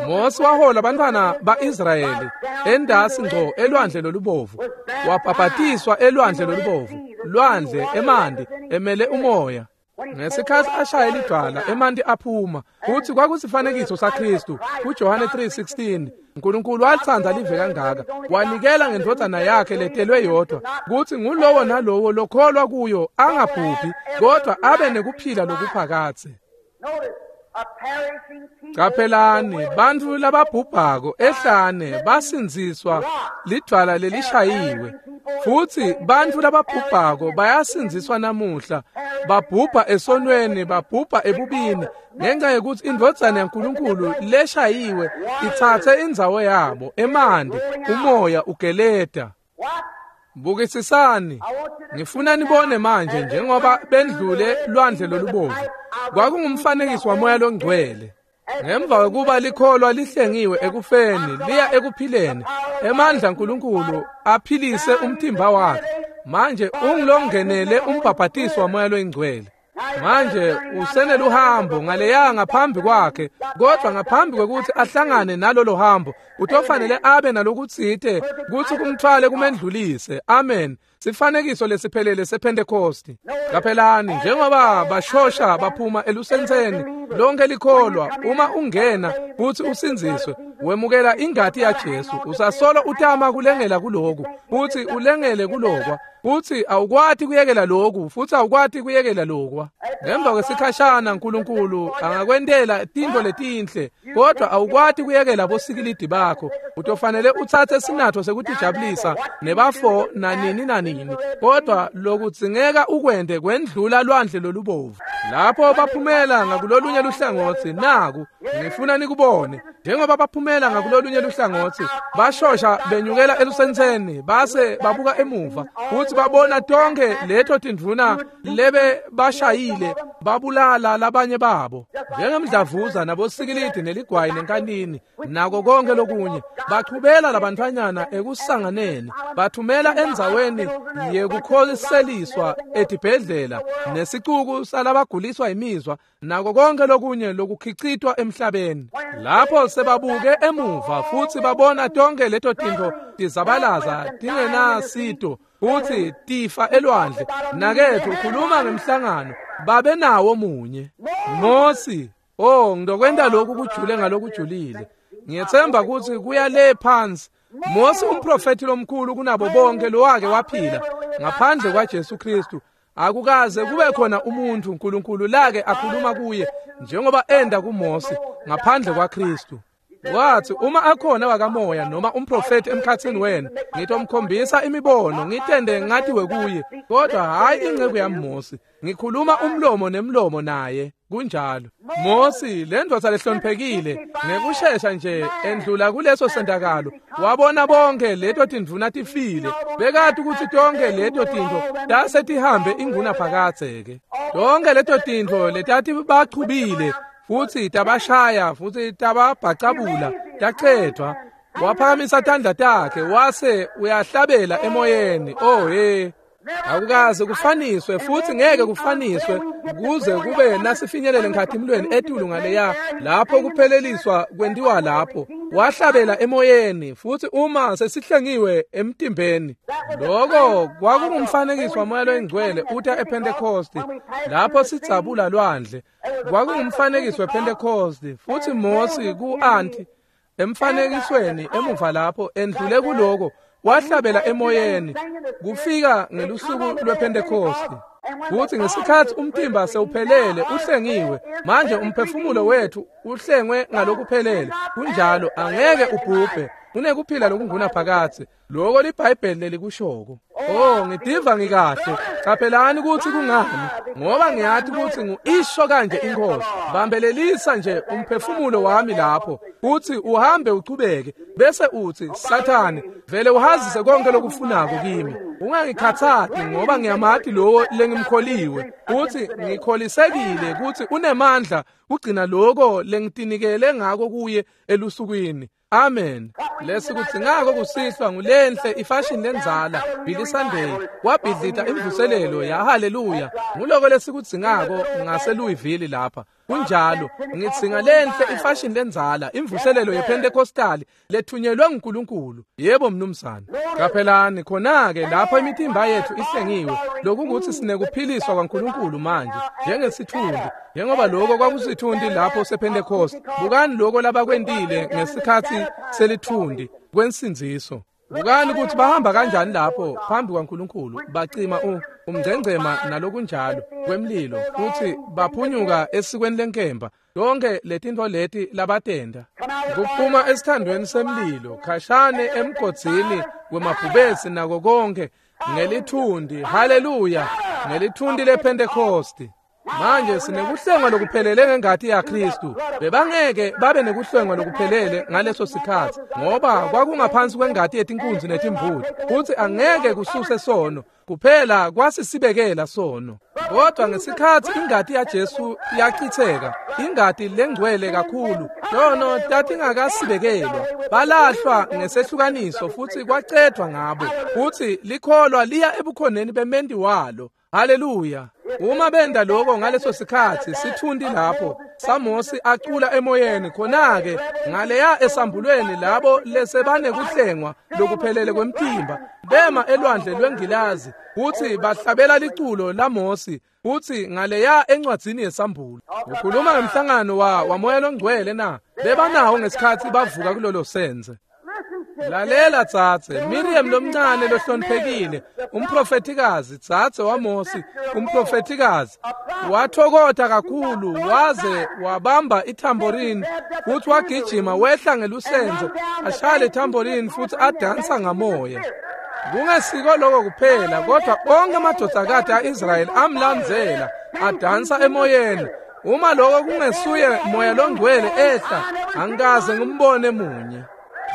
Mose wahola abantwana ba-Israyeli endasi ngco elwandle lolubovu, wabhabhatiswa elwandle lolubovu, lwandle emanti emele umoya. Ngesikhatsi ashaya lidwala emanti aphuma, futsi kwakusifanekiso saKhristu kuJohane 3:16. uNkulunkulu walitsandza live kangaka, wanikela ngendvodzana yakhe letelwe yodwa, kutsi ngulowo nalowo lokholwa kuyo angabhubhi kodwa abe nekuphila lokuphakadze. Caphelani, bantfu lababhubhako ehlane basindziswa lidvwala lelishayiwe, futsi bantfu lababhubhako bayasindziswa namuhla, babhubha esonweni, babhubha ebubini, ngenxa yekutsi indvodzana yaNkulunkulu leshayiwe itsatse indzawo yabo. Emanti, umoya ugeleta. Bukisisani, ngifuna nibone manje njengoba bendlule lwandle lolubovu, kwakungumfanekiso wamoya longcwele. Ngemva kwekuba likholwa lihlengiwe ekufeni liya ekuphileni, emandla aNkulunkulu aphilise umtimba wakhe. Manje ungilongenele umbhabhatiso wamoya loyingcwele. Manje useneluhambo ngaleya ngaphambi kwakhe, kodwa ngaphambi kwekuthi ahlangane nalolo hambo utofanele abe nalokutsite kutsi kumthwale kumendlulise. Amen. Sifanekiso lesiphelele sePhentekosti. Caphelani, njengoba bashosha baphuma elusentseni, lonke likholwa uma ungena kutsi usindziswe, wemukela ingati yaJesu, usasolo utama kulengela kuloku, futsi ulengele kulokwa, futsi awukwati kuyekela loku, futsi awukwati kuyekela lokwa. Ngemva kwesikhashana uNkulunkulu angakwentela tintfo letinhle, kodwa awukwati kuyekela bosikilidi bakho. Utofanele utsatse sinatfo sekutijabulisa nebafo nanini nanini, kodwa lokudzingeka ukwente kwendlula lwandle lolubovu. Lapho baphumela ngakulolunye luhlangotsi, naku ngifuna nikubone. Njengoba baphumela ngakulolunye luhlangotsi, bashosha benyukela elusentseni, base babuka emuva futsi babona tonke leto tindvuna lebe bashayile babulala labanye babo, njengemdlavuza nabosikilidi neligwayi nenkanini nako konke lokunye. Bachubela labantfwanyana ekusanganeni, bathumela endzaweni yekukhoseliswa etibhedlela nesicuku salabaguliswa imizwa nako konke lokunye lokukhicitwa emhlabeni. Lapho sebabuke emuva futsi babona tonke leto tintfo tizabalaza tingenasito futsi tifa elwandle. Nakethu ukhuluma ngemhlangano, babe nawo munye Mosi. Oh, ngizokwenta lokhu kujule ngalokujulile. Ngiyethemba ukuthi kuya le phansi. Mosi umprofeti lomkhulu kunabo bonke lowake waphila ngaphandle kwaJesu Kristu. Akukaze kube khona umuntu uNkulunkulu lake akhuluma kuye njengoba enda kuMosi ngaphandle kwaKristu. Wathi uma akhona wakamoya noma umprofeti emkhatsini wenu, ngitomkhombisa imibono ngitende ngatiwe kuye, kodwa hayi inceku yami Mosi. Ngikhuluma umlomo nemlomo naye. Kunjalo. Mosi, le ndvodza lehloniphekile, ngekushesha nje endlula kuleso sentakalo, wabona bonke leto tindvuna tifile. Bekati ukuthi tonke leto tintfo tase tihambe inguna phakadze-ke. Tonke leto tintfo letati bachubile Futsi tabashaya futsi tababhacabula tacedvwa. Waphakamisa tandla takhe wase uyahlabela emoyeni. Oh he, akukaze kufaniswe futhi ngeke kufaniswe kuze kube nasifinyelele nkhatimulweni etulu ngaleya lapho kupheleliswa kwentiwa lapho. Wahlabela emoyeni futhi uma sesihlengiwe emtimbeni. Lokho kwakungumfanekiso waMoya loyiNgcwele uta ePhentekosti lapho sidzabula lwandle. Kwakungumfanekiso wePhentekosti futhi Mosi ku-anti emfanekisweni emuva lapho endlule kuloko wahlabela emoyeni kufika ngelusuku lwePhentekosti. Futhi ngesikhathi umtimba sewuphelele uhlengiwe, manje umphefumulo wethu uhlengwe ngalokuphelele. Kunjalo, angeke ubhubhe, unekuphila lokungunaphakadze. Lokho liBhayibheli lelikushoko. Oh, ngidiva ngikahle. Qaphelani ukuthi kungani, ngoba ngiyathi ukuthi ngu-isho kanje inkosi. Bambelelisa nje umphefumulo wami lapho, uthi uhambe uchubeke, bese uthi Sathane, vele uhazise konke lokufunako kimi. Ungangikhathati ngoba ngiyamati lowo lengimkholiwe. Uthi ngikholisekile ukuthi unemandla kugcina lokho lengitinikele ngako kuye elusukwini. Amen. Lesikudzingako kusihlwa ngulenhle ifashion lenzala Billy Sunday wabhidlita imvuselelo ya haleluya. Nguloko lesikudzingako ngase Louisville lapha. Kunjalo, ngidzinga lenhle ifashion lenzala imvuselelo yePentecostal lethunyelwe nguNkulunkulu. Yebo mnumzane. Qaphelani khona-ke lapho imitimba yethu ihlengiwe, lokukuthi sinekuphiliswa kwaNkulunkulu manje njengesithunzi, njengoba lokho kwakusithundi lapho sePentecost. Bukani lokho labakwentile ngesikhathi selithundi kwensindziso. Bukani ukuthi bahamba kanjani lapho phambi kwaNkulunkulu, bacima umngcengcema nalokunjalo kwemlilo, futhi baphunyuka esikweni lenkemba. Lonke letinto leti labatenda kuphuma esithandweni semlilo khashane emgodzini wemabhubesi nako konke ngelithundi. Haleluya, ngelithundi lePhentekosti. Manje sinekuhlengwa lokuphelele ngengati yaKristu. Bebangeke babe nekuhlengwa lokuphelele ngaleso sikhathi ngoba kwakungaphansi kwengati yetinkunzi netimbuti, futhi angeke kususe sono, kuphela kwasisibekela sono. Kodwa ngesikhathi ingati yaJesu yachitheka, ingati lengcwele kakhulu, tono tatingakasibekelwa, balahlwa ngesehlukaniso futhi kwacedwa ngabo, futhi likholwa liya ebukhoneni bementi walo. Haleluya. Uma benda lokho ngaleso sikhathi sithundi lapho saMosi acula emoyeni, khona-ke ngaleya esambulweni labo lesebanekuhlengwa lokuphelele kwemtimba bema elwandle lwengilazi futhi bahlabela liculo laMosi, futhi ngaleya encwadzini yesambulo. Ukhuluma ngemhlangano waMoya loNgcwele na? Bebanawo ngesikhathi bavuka kulolo senze. Lalela tsatse, Miriam lomncane lohloniphekile, umprofethikazi, tsatse waMosi, umprofethikazi, wathokotha kakhulu waze wabamba ithamborini futhi wagijima wehla ngelusenze ashaya lethamborini futhi adansa ngamoya. Kungesiko lokho kuphela, kodwa onke amadodakati a-Israyeli amlandzela adansa emoyeni. Uma lokho kungesuye moya longcwele ehla, angikaze ngimbone munye.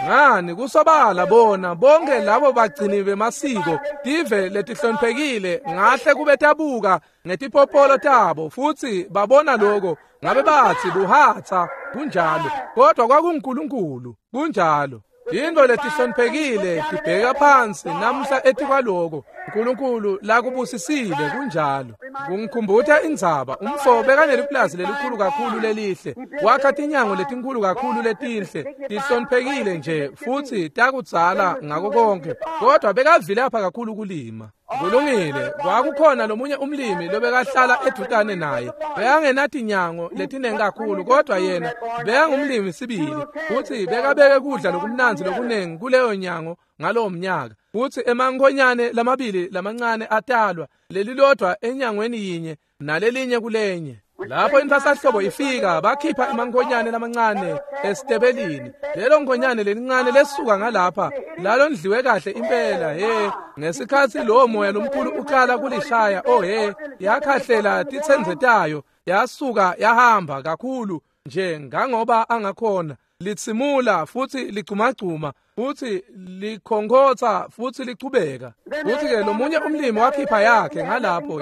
Ngani kusobala bona bonke labo bagcini bemasiko tive letihloniphekile ngahle kube tabuka ngetipopolo tabo futhi babona lokho, ngabe bathi buhatha. Kunjalo, kodwa kwakunguNkulunkulu. Kunjalo. Into letihloniphekile tibheka phansi namhla etikwaloko uNkulunkulu lakubusisile. Kunjalo. Kungikhumbuta indzaba, umfo bekaneliplazi lelikhulu kakhulu lelihle, wakha tinyango letinkulu kakhulu letinhle, tihloniphekile nje futhi takudzala ngako konke, kodwa bekavilapha kakhulu kulima. Kulungile, kwakukhona lomunye umlimi lobekahlala edutane naye, bekangenatinyango letinengi kakhulu, kodwa yena bekangumlimi sibili, futhi bekabeke kudla lokumnandzi lokunengi kuleyo nyango ngalowo mnyaka. Futhi emankhonyane lamabili lamancane atalwa, lelilodwa enyangweni yinye nalelinye kulenye. Lapho inthasahlobo ifika, bakhipha emankhonyane lamancane esitebelini. Lelo nkhonyane lelincane lesuka ngalapha lalondliwe kahle impela. He, ngesikhathi lowo moya lomkhulu uqala kulishaya, oh he, yakhahlela titsenze tayo, yasuka yahamba kakhulu nje ngangoba angakhona, litsimula futhi ligcumagcuma. Futsi likhonkhotsa futsi lichubeka. Futsi-ke lomunye umlimi wakhipha yakhe ngalapho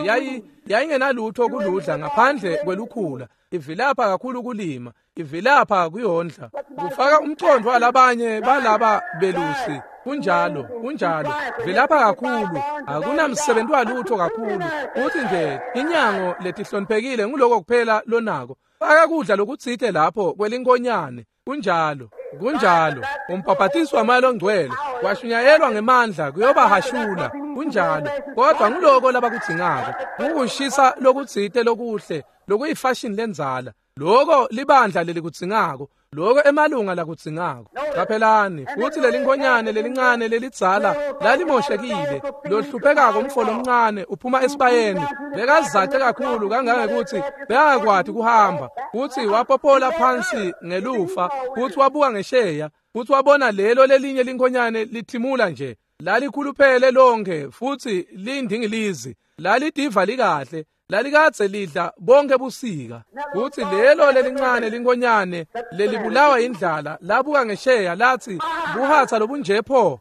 yayingenalutho kuludla ngaphandle kwelukhula. Ivilapha kakhulu kulima, ivilapha kuyondla. Kufaka umcondvo walabanye balaba belusi. Kunjalo, kunjalo. Vilapha kakhulu, akunamsebenzi walutho kakhulu. Futsi nje inyango letihloniphekile nguloko kuphela lonako. Faka kudla lokutsite lapho kwelinkonyane. Kunjalo, kunjalo. Umbhabhatiso waMoya loNgcwele washunyayelwa ngemandla kuyobahashula. Kunjalo, kodwa nguloko labakudzingako. Kukushisa lokutsite lokuhle, lokuyifashini lendzala. Loko libandla lelikudzingako, loko emalunga lakudzingako. Qaphelani, futsi lelinkonyane lelincane lelidzala lalimoshekile, lohluphekako umfo lomncane uphuma esibayeni, bekazace kakhulu kangangekutsi bekangakwati kuhamba, futsi wapopola phansi ngelufa, futsi wabuka ngesheya, futsi wabona lelo lelinye linkonyane lithimula nje, lalikhuluphele lonke futsi liyindingilizi, lalidiva likahle, lalikadze lidla bonke busika. Futsi lelo lelincane linkonyane lelibulawa indlala labuka ngesheya lathi, buhatsa lobunje pho.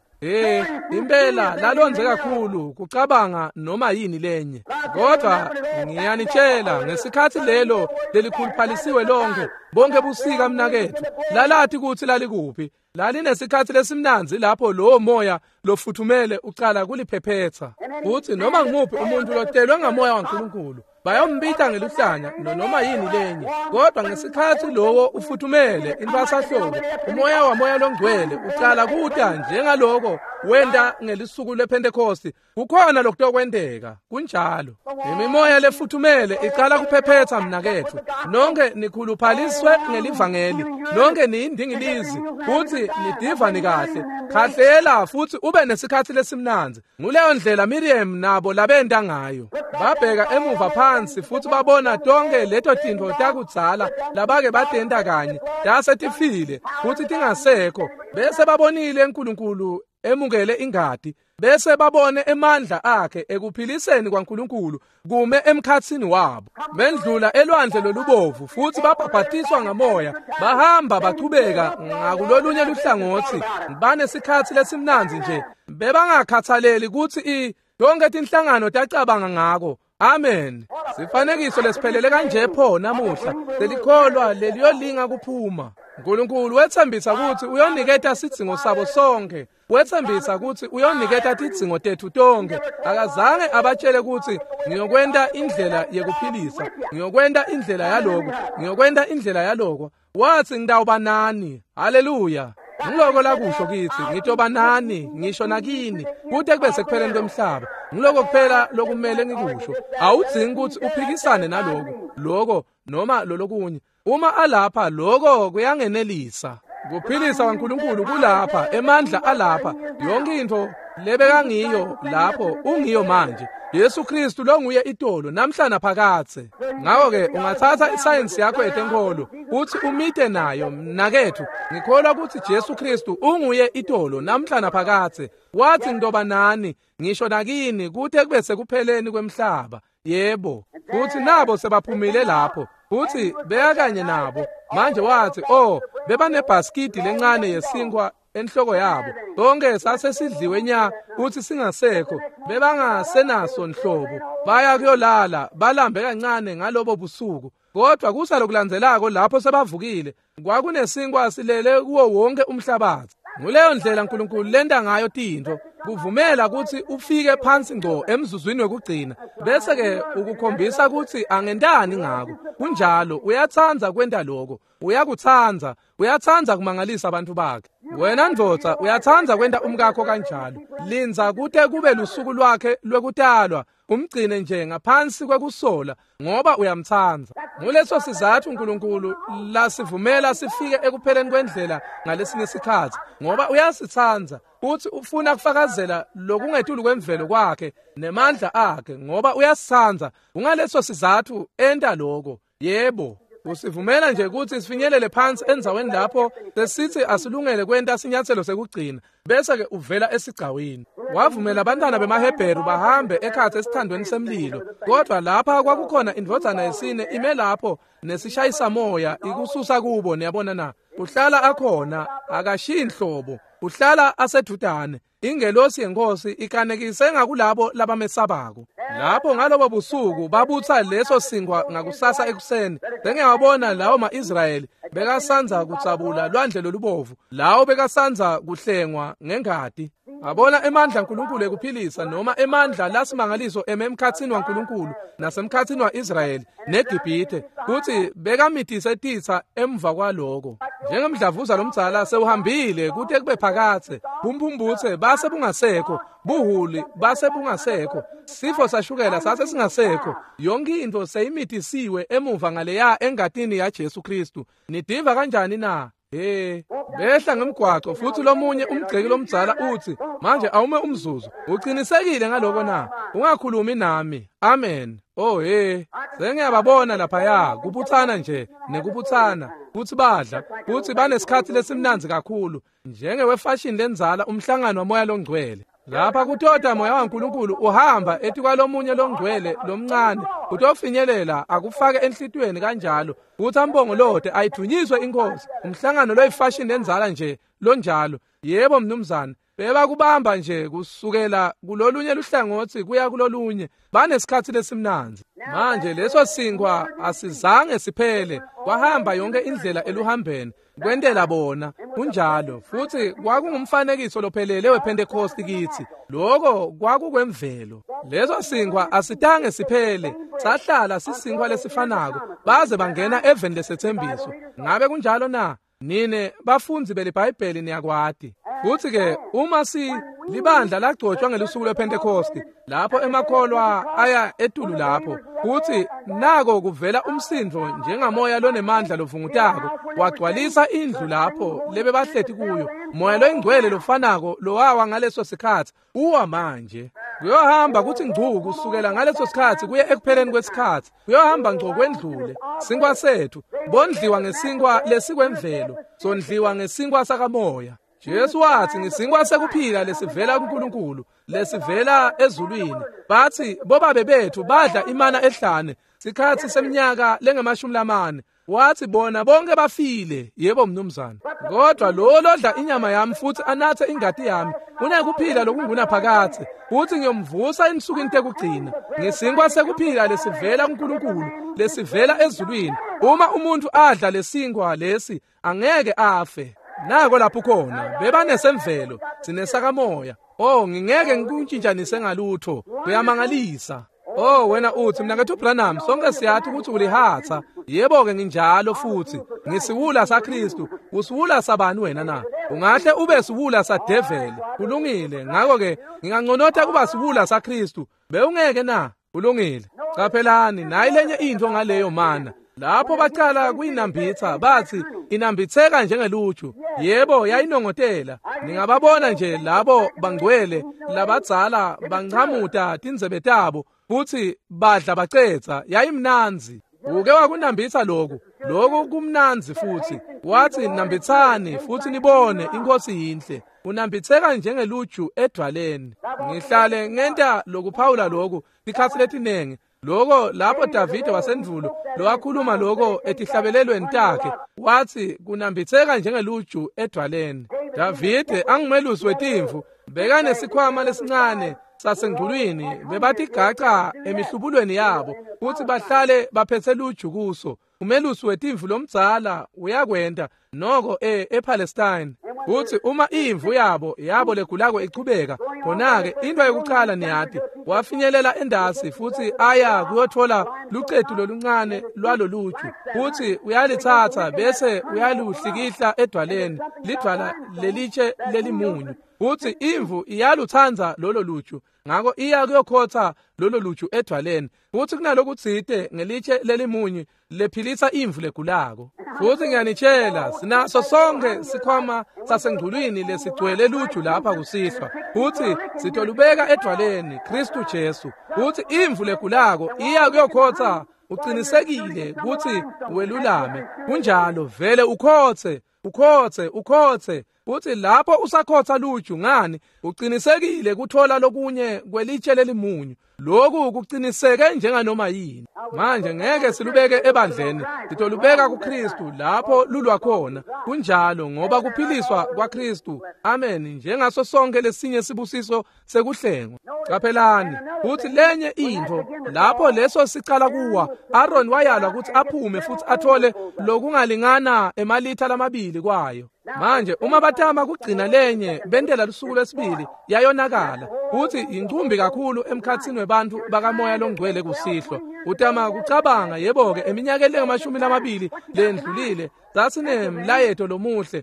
Impela lalondze kakhulu kucabanga noma yini lenye. Kodwa ngiyanitshela, ngesikhatsi lelo lelikhuluphalisiwe lonke bonke busika mnaketfu, lalathi kutsi lalikuphi. Lalinesikhatsi lesimnandzi lapho lowo moya lofuthumele ucala kuliphephetsa. Futsi noma ngumuphi umuntu lotelwe ngamoya waNkulunkulu bayombita ngeluhlanya noma yini lenye. Kodwa ngesikhatsi lowo ufuthumele intwasahlobo, umoya wamoya longcwele ucala kuta njengaloko wenta ngelisuku lePhentekosti. Kukhona lokutokwenteka, kunjalo. Imimoya lefuthumele icala kuphephetsa mnaketfu. Nonke nikhuluphaliswe ngelivangeli, nonke niyindingilizi, futsi nidiva nikahle. Khahlela futsi ube nesikhatsi lesimnandzi. Nguleyo ndlela Miriam nabo labenta ngayo. Babheka emuva phansi futsi babona tonke leto tintfo takudzala labake batenta kanye, tase tifile futsi tingasekho. Bese babonile uNkulunkulu emukele ingati, bese babone emandla akhe ekuphiliseni kwaNkulunkulu kume emkhatsini wabo. Bendlula elwandle lolubovu futsi babhabhatiswa ngamoya, bahamba bachubeka ngakulolunye luhlangotsi. Banesikhatsi lesimnandzi nje, bebangakhathaleli kutsi tonke tinhlangano tacabanga ngako. Amen. Sifanekiso lesiphelele kanje pho namuhla, lelikholwa leliyolinga kuphuma. uNkulunkulu wetsembisa kutsi uyoniketa sidzingo sabo sonke. Wetsembisa kutsi uyoniketa tidzingo tetfu tonke. Akazange abatshele kutsi ngiyokwenta indlela yekuphilisa, ngiyokwenta indlela yaloko, ngiyokwenta indlela yaloko. Watsi ngitawuba nani. Haleluya. Ngiloko lakusho kitsi, ngitoba nani ngisho nakini kute kube sekupheleni kwemhlaba. Ngiloko kuphela lokumele ngikusho. Awudzingi kutsi uphikisane naloko, loko noma lolokunye. Uma alapha, loko kuyangenelisa. Kuphilisa kwaNkulunkulu kulapha, emandla alapha, yonke intfo lebekangiyo lapho ungiyo manje. Yesu Kristu longuye itolo namhla naphakadze. Ngakho-ke ungatsatsa isayensi yakho yetenkholo utsi umite nayo mnaketfu. Ngikholwa kutsi Jesu Kristu unguye itolo namhla naphakadze. Watsi ngitoba nani ngisho nakini kute kube sekupheleni kwemhlaba. Yebo, futsi nabo sebaphumile lapho, futsi bekakanye nabo. Manje watsi, oh, bebanebhaskidi lencane yesinkwa enhloko yabo. Konke sasesidliwe nya futsi singasekho, bebangasenaso nhlobo. Baya kuyolala, balambe kancane ngalobo busuku. Kodwa kusa lokulandzelako lapho sebavukile, kwakunesinkwa silele kuwo wonke umhlabatsi. Nguleyo ndlela uNkulunkulu lenta ngayo tintfo, kuvumela kutsi ufike phansi ngco emzuzwini wekugcina, bese-ke ukukhombisa kutsi angentani ngako. Kunjalo, uyatsandza kwenta loko. Uyakutsandza, uyatsandza kumangalisa abantu bakhe. Wena ndvodza, uyatsandza kwenta umkakho kanjalo. Lindza kute kube lusuku lwakhe lwekutalwa, umgcine nje ngaphansi kwekusola ngoba uyamtsandza. Nguleso sizatfu uNkulunkulu lasivumela sifike ekupheleni kwendlela ngalesinye sikhatsi, ngoba uyasitsandza futsi ufuna kufakazela lokungetulu kwemvelo kwakhe nemandla akhe, ngoba uyasitsandza. Kungaleso sizatfu enta loko. Yebo, usivumela nje kutsi sifinyelele phansi endzaweni lapho sesitsi asilungele kwenta sinyatselo sekugcina, bese-ke uvela esigcawini. Wavumela abantwana bemaHebheru bahambe ekhatsi esithandweni semlilo, kodwa lapha kwakukhona indvodzana yesine ime lapho nesishayisamoya ikususa kubo. Niyabona na? Uhlala akhona, akashiyi nhlobo. Uhlala asedvutane. Ingelosi yenkosi ikanekise ngakulabo labamesabako. Lapho ngalobo busuku babutsa leso sinkwa ngakusasa ekuseni. Bengiyawabona lawo ma-Israyeli bekasanza kutsabula lwandle lolubovu, lawo bekasanza kuhlengwa ngengati. Abona emandla aNkulunkulu ekuphilisa noma emandla lasimangaliso emkhatsini waNkulunkulu nasemkhatsini wa-Israyeli neGibhithe, kutsi bekamitise titsa emva kwaloko. Njengemdlavuza lomdzala sewuhambile kute kube phakatse, bumphumbutse base bungasekho, buhuli base bungasekho, sifo sashukela sase singasekho, yonke into seyimitisiwe emuva ngaleya engatini yaJesu Kristu. Nidiva kanjani na? Hey, behla ngemgwaco futhi lomunye umgceki lomdzala uthi, manje awume umzuzu, uqinisekile ngaloko na? Ungakhulumi nami. Amen. Oh hey, sengiyababona laphaya kubutsana nje nekubutsana, futhi badla, futhi banesikhathi lesimnandzi kakhulu, njengewefashion lenzala umhlangano wamoya longcwele. Lapha kutota moya waNkulunkulu uhamba etikwalomunye longcwele lomncane, utofinyelela akufake enhlitiyweni kanjalo, kuthi ambongolote ayithunyiswe inkosi. Umhlangano loyifashion lenzala nje lonjalo. Yebo mnumzane, bebakubamba nje kusukela kulolunye luhlangothi kuya kulolunye, banesikhathi lesimnandzi. Manje leso sinkwa asizange siphele, kwahamba yonke indlela eluhambeni kwentela bona. Kunjalo futhi kwakungumfanekiso lophelele wePentecost kithi. Lokho kwakukwemvelo. Leso sinkwa asitange siphele, sahlala sisinkwa lesifanako baze bangena eveni lesethembiso. Ngabe kunjalo na? Nine bafundzi beliBhayibheli niyakwati. Futhi ke uma si libandla lagcotshwa ngelusuku lwePentecost, lapho emakholwa aya etulu lapho, futhi nako kuvela umsindvo njengamoya lonemandla lovungutako, wagcwalisa indlu lapho lebebahleti kuyo. Moya loyingcwele lofanako lowawa ngaleso sikhathi uwa manje. Kuyohamba kuthi ngcu kusukela ngaleso sikhathi kuye ekupheleni kwesikhathi, kuyohamba ngco kwendlule. Sinkwa sethu bondliwa ngesinkwa lesikwemvelo, sondliwa ngesinkwa sakamoya. Jesu wathi ngisinkwa sekuphila lesivela kuNkulunkulu, lesivela ezulwini. Bathi bobabe bethu badla imana ehlane sikhathi seminyaka lengamashumi lamane. Wathi bona bonke bafile. Yebo mnumzane. Kodwa lo lodla inyama yami futhi anathe ingati yami unekuphila lokungunaphakadze, futhi ngiyomvusa ensukwini tekugcina. Ngesinkwa sekuphila lesivela kuNkulunkulu, lesivela ezulwini. Uma umuntu adla lesinkwa lesi angeke afe. Nako lapho khona bebanesemvelo, sinesakamoya. Oh, ngingeke ngikuntshintshanise ngalutho. Kuyamangalisa. Oh wena uthi mnakethu Branham, sonke siyathi ukuthi ulihatha. Yebo ke nginjalo futhi. Ngisiwula saKristu. Usiwula sabani wena na? Ungahle ube siwula sadeveli. Kulungile. Ngakho ke nginganconotha kuba siwula saKristu. Bewungeke na? Kulungile. Qaphelani, nayi lenye into ngaleyo mana. Lapho baqala kuyinambitha bathi inambitheka njengeluju. Yebo, yayinongotela. Ningababona nje labo bangcwele labadzala banchamuta tindzebe tabo futhi badla bacetsa. Yayimnandzi. Uke wakunambitha lokhu. Lokhu kumnandzi futhi. Wathi nambithani futhi nibone inkosi yinhle. Unambitheka njengeluju edwaleni. Ngihlale ngenta lokuphawula lokhu sikhathi letinengi. Lokho lapho Davide wasendvulo lowakhuluma lokho etihlabelelweni takhe, wathi kunambitheka njengeluju edwaleni. Davide angumelusi wetimvu, bekanesikhwama lesincane sasengculwini, bebatigaca emihlubulweni yabo futhi bahlale baphethe luju kuso. Umelusi wetimvu lomdzala uyakwenta noko ePalestine. Futhi uma imvu yabo legulako ichubeka, khona-ke into yokuqala niyati, wafinyelela endasi futhi aya kuyothola lucetu loluncane lwaloluju, futhi uyalithatha bese uyaluhlikihla edwaleni, lidwala lelitshe lelimunyu. Futhi imvu iyaluthanda lolo luju, ngakho iya kuyokhotha lolo luju edwaleni. Futhi kunalokutsite ngelitshe lelimunyu lephilisa imvu legulako. Futhi ngiyanitshela, sinaso sonke sikhwama sasengculwini lesigcwele luju lapha kusihlwa, futhi sitolubeka edwaleni Kristu Jesu. Futhi imvu legulako iya kuyokhotha, uqinisekile ukuthi welulame. Kunjalo, vele ukhothe. ukhotse ukhotse, futhi lapho usakhotsa luju ngani uqinisekile kuthola lokunye kwelitshe lelimunyu. Lokhu kuqiniseke njenganoma yini. Manje ngeke silubeke ebandleni, sitolubeka kuKristu lapho lulwa khona. Kunjalo, ngoba kuphiliswa kwaKristu, amen, njengaso sonke lesinye sibusiso sekuhlengwa. Qaphelani futhi lenye into, lapho leso sicala kuwa, Aaron wayalwa ukuthi aphume futhi athole lokungalingana emalitha lamabili kwayo. Manje uma batama kugcina lenye bentela lusuku lwesibili, yayonakala. Futhi incumbi kakhulu emkhatsini webantu bakamoya longcwele kusihlwa. Utama kucabanga, yebo-ke, eminyakeni lengamashumi lamabili lendlulile sasinemlayeto lomuhle,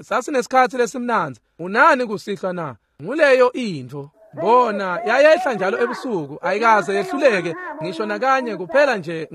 sasinesikhathi lesimnandzi. Unani kusihlwa na? Nguleyo intfo. Bona yayehla njalo ebusuku, ayikaze yehluleke ngisho nakanye, kuphela nje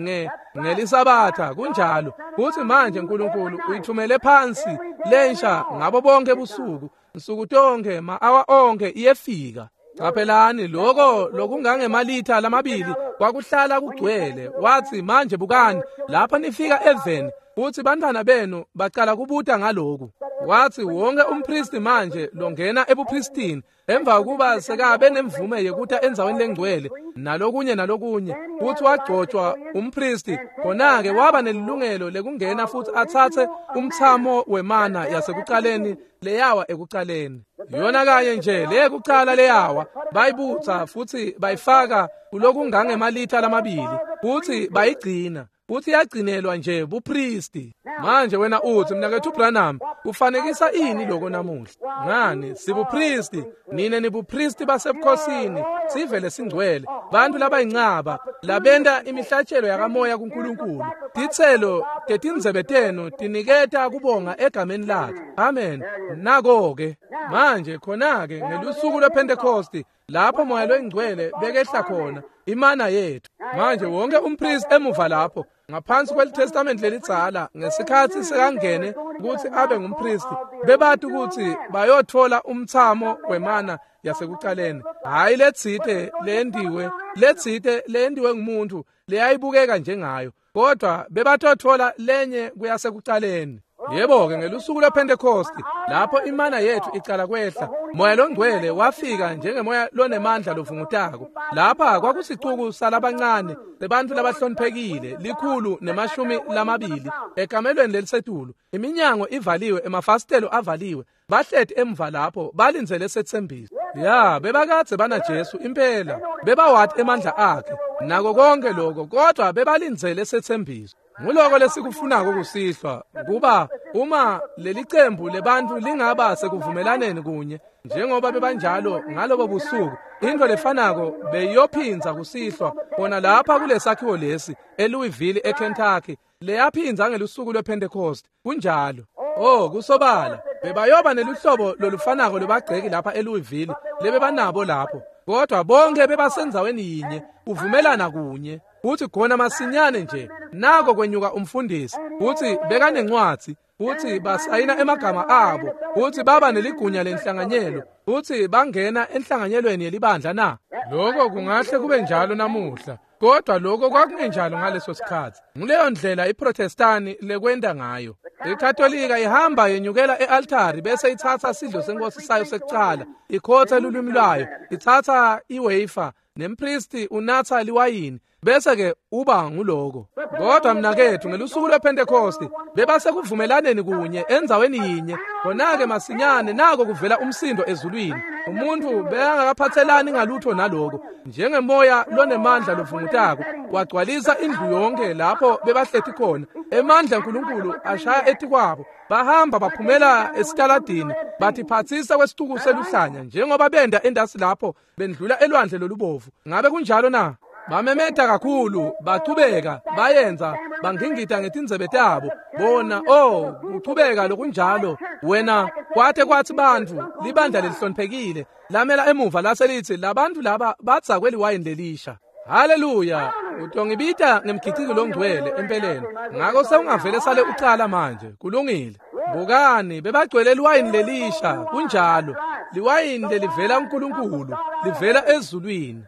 ngelisabatha. Kunjalo. Futhi manje uNkulunkulu uyithumele phansi lensha ngabo bonke ebusuku, nsuku tonke, ma-awa onke iyefika. Qaphelani lokho lokungangemalitha lamabili kwakuhlala kugcwele. Wathi, manje bukani lapha nifika eveni futhi bantwana benu bacala kubuta ngaloku. Wathi wonke umpristi manje longena ebupristini emva kokuba sekabe nemvume yekuta endzaweni lengcwele nalokunye nalokunye, futhi wagcotshwa umpristi, khona-ke waba nelilungelo lekungena futhi atsatse umthamo wemana yasekucaleni leyawa ekucaleni. Yona kanye nje leyekucala leyawa bayibutsa futhi bayifaka kulokungangemalitha lamabili futhi bayigcina, futhi yagcinelwa nje bupristi. Manje wena uthi, mnakethu Branham, kufanekisa ini lokho namuhla? Ngani, sibupristi, nine nibupristi basebukhosini, sivele singcwele, bantu labayincaba labenta imihlatshelo yakamoya kuNkulunkulu. Titselo tetindzebe tenu tiniketa kubonga egameni lakhe. Amen. Nako-ke manje khona-ke ngelusuku lwePhentekosti lapho moya loyingcwele bekehla khona, imana yethu. Manje wonke umpristi emuva lapho ngaphansi kweliTestament lelidzala, ngesikhathi sekangene ukuthi abe ngumpristi, bebati ukuthi bayothola umthamo wemana yasekucaleni, hhayi letsite leyendiwe, letsite leyendiwe ngumuntu leyayibukeka njengayo, kodwa bebatothola lenye kuyasekucaleni. Yebo-ke, ngelusuku lwePhentekosti lapho imana yethu icala kwehla, moya longcwele wafika njengemoya lonemandla lovungutako. Lapha kwakusicuku salabancane lebantfu labahloniphekile, 120 ekamelweni lelisetulu, iminyango ivaliwe, emafasitelo avaliwe, bahleti emva lapho balindzele setsembiso. Ya, bebakadze banaJesu impela, bebawati emandla akhe nako konke lokho, kodwa bebalindzele setsembiso. Nguloko lesikufunako kusihlwa, kuba uma lelicembu lebantfu lingaba sekuvumelaneni kunye njengoba bebanjalo ngalobo busuku, into lefanako beyiyophindza kusihlwa khona lapha kulesakhiwo lesi eLouisville eKentucky leyaphindza ngelusuku lwePentecost. Kunjalo. Oh, kusobala bebayoba neluhlobo lolufanako lwebagceki lapha eLouisville lebebanabo lapho, kodwa bonke bebasendzaweni yinye kuvumelana kunye. Futhi khona masinyane nje nako kwenyuka umfundisi, futhi bekanencwadzi, futhi basayina emagama abo, futhi baba neligunya lenhlanganyelo, futhi bangena enhlanganyelweni yelibandla na. Lokho kungahle kube njalo namuhla, kodwa lokho kwakungenjalo ngaleso sikhathi. Nguleyo ndlela iProtestani lekwenta ngayo. IKatolika ihamba yenyukela e-altari bese itsatsa sidlo senkosi sayo sekucala, ikhotha lulwimi lwayo, itsatsa iwafer, nempristi unatsa liwayini, bese-ke uba nguloko. Kodwa mnakethu, ngelusuku lwePhentekosti bebasekuvumelaneni kunye endzaweni yinye. Khona-ke masinyane nako kuvela umsindo ezulwini. Umuntu bekangakaphathelani ngalutho naloko, njengemoya lonemandla lovungutako wagcwalisa indlu yonke lapho bebahleti khona. Emandla aNkulunkulu ashaya etikwabo, bahamba baphumela esitaladini, bathiphatsisa kwesituku seluhlanya njengoba benda endasi lapho bendlula elwandle lolubovu. Ngabe kunjalo na? Bamemeta kakhulu, bachubeka bayenza, bangingita ngetindzebe tabo bona. Oh, kuchubeka lokunjalo wena, kwate kwathi bantfu libandla lelihloniphekile lamela emuva laselithi, labantu laba badzakwe liwayini lelisha. Haleluya! Utongibita ngemgiciki longcwele empeleni, ngako sewungavele sale ucala manje. Kulungile. Bukani, bebagcwele liwayini lelisha. Kunjalo, liwayini lelivela kuNkulunkulu, livela ezulwini.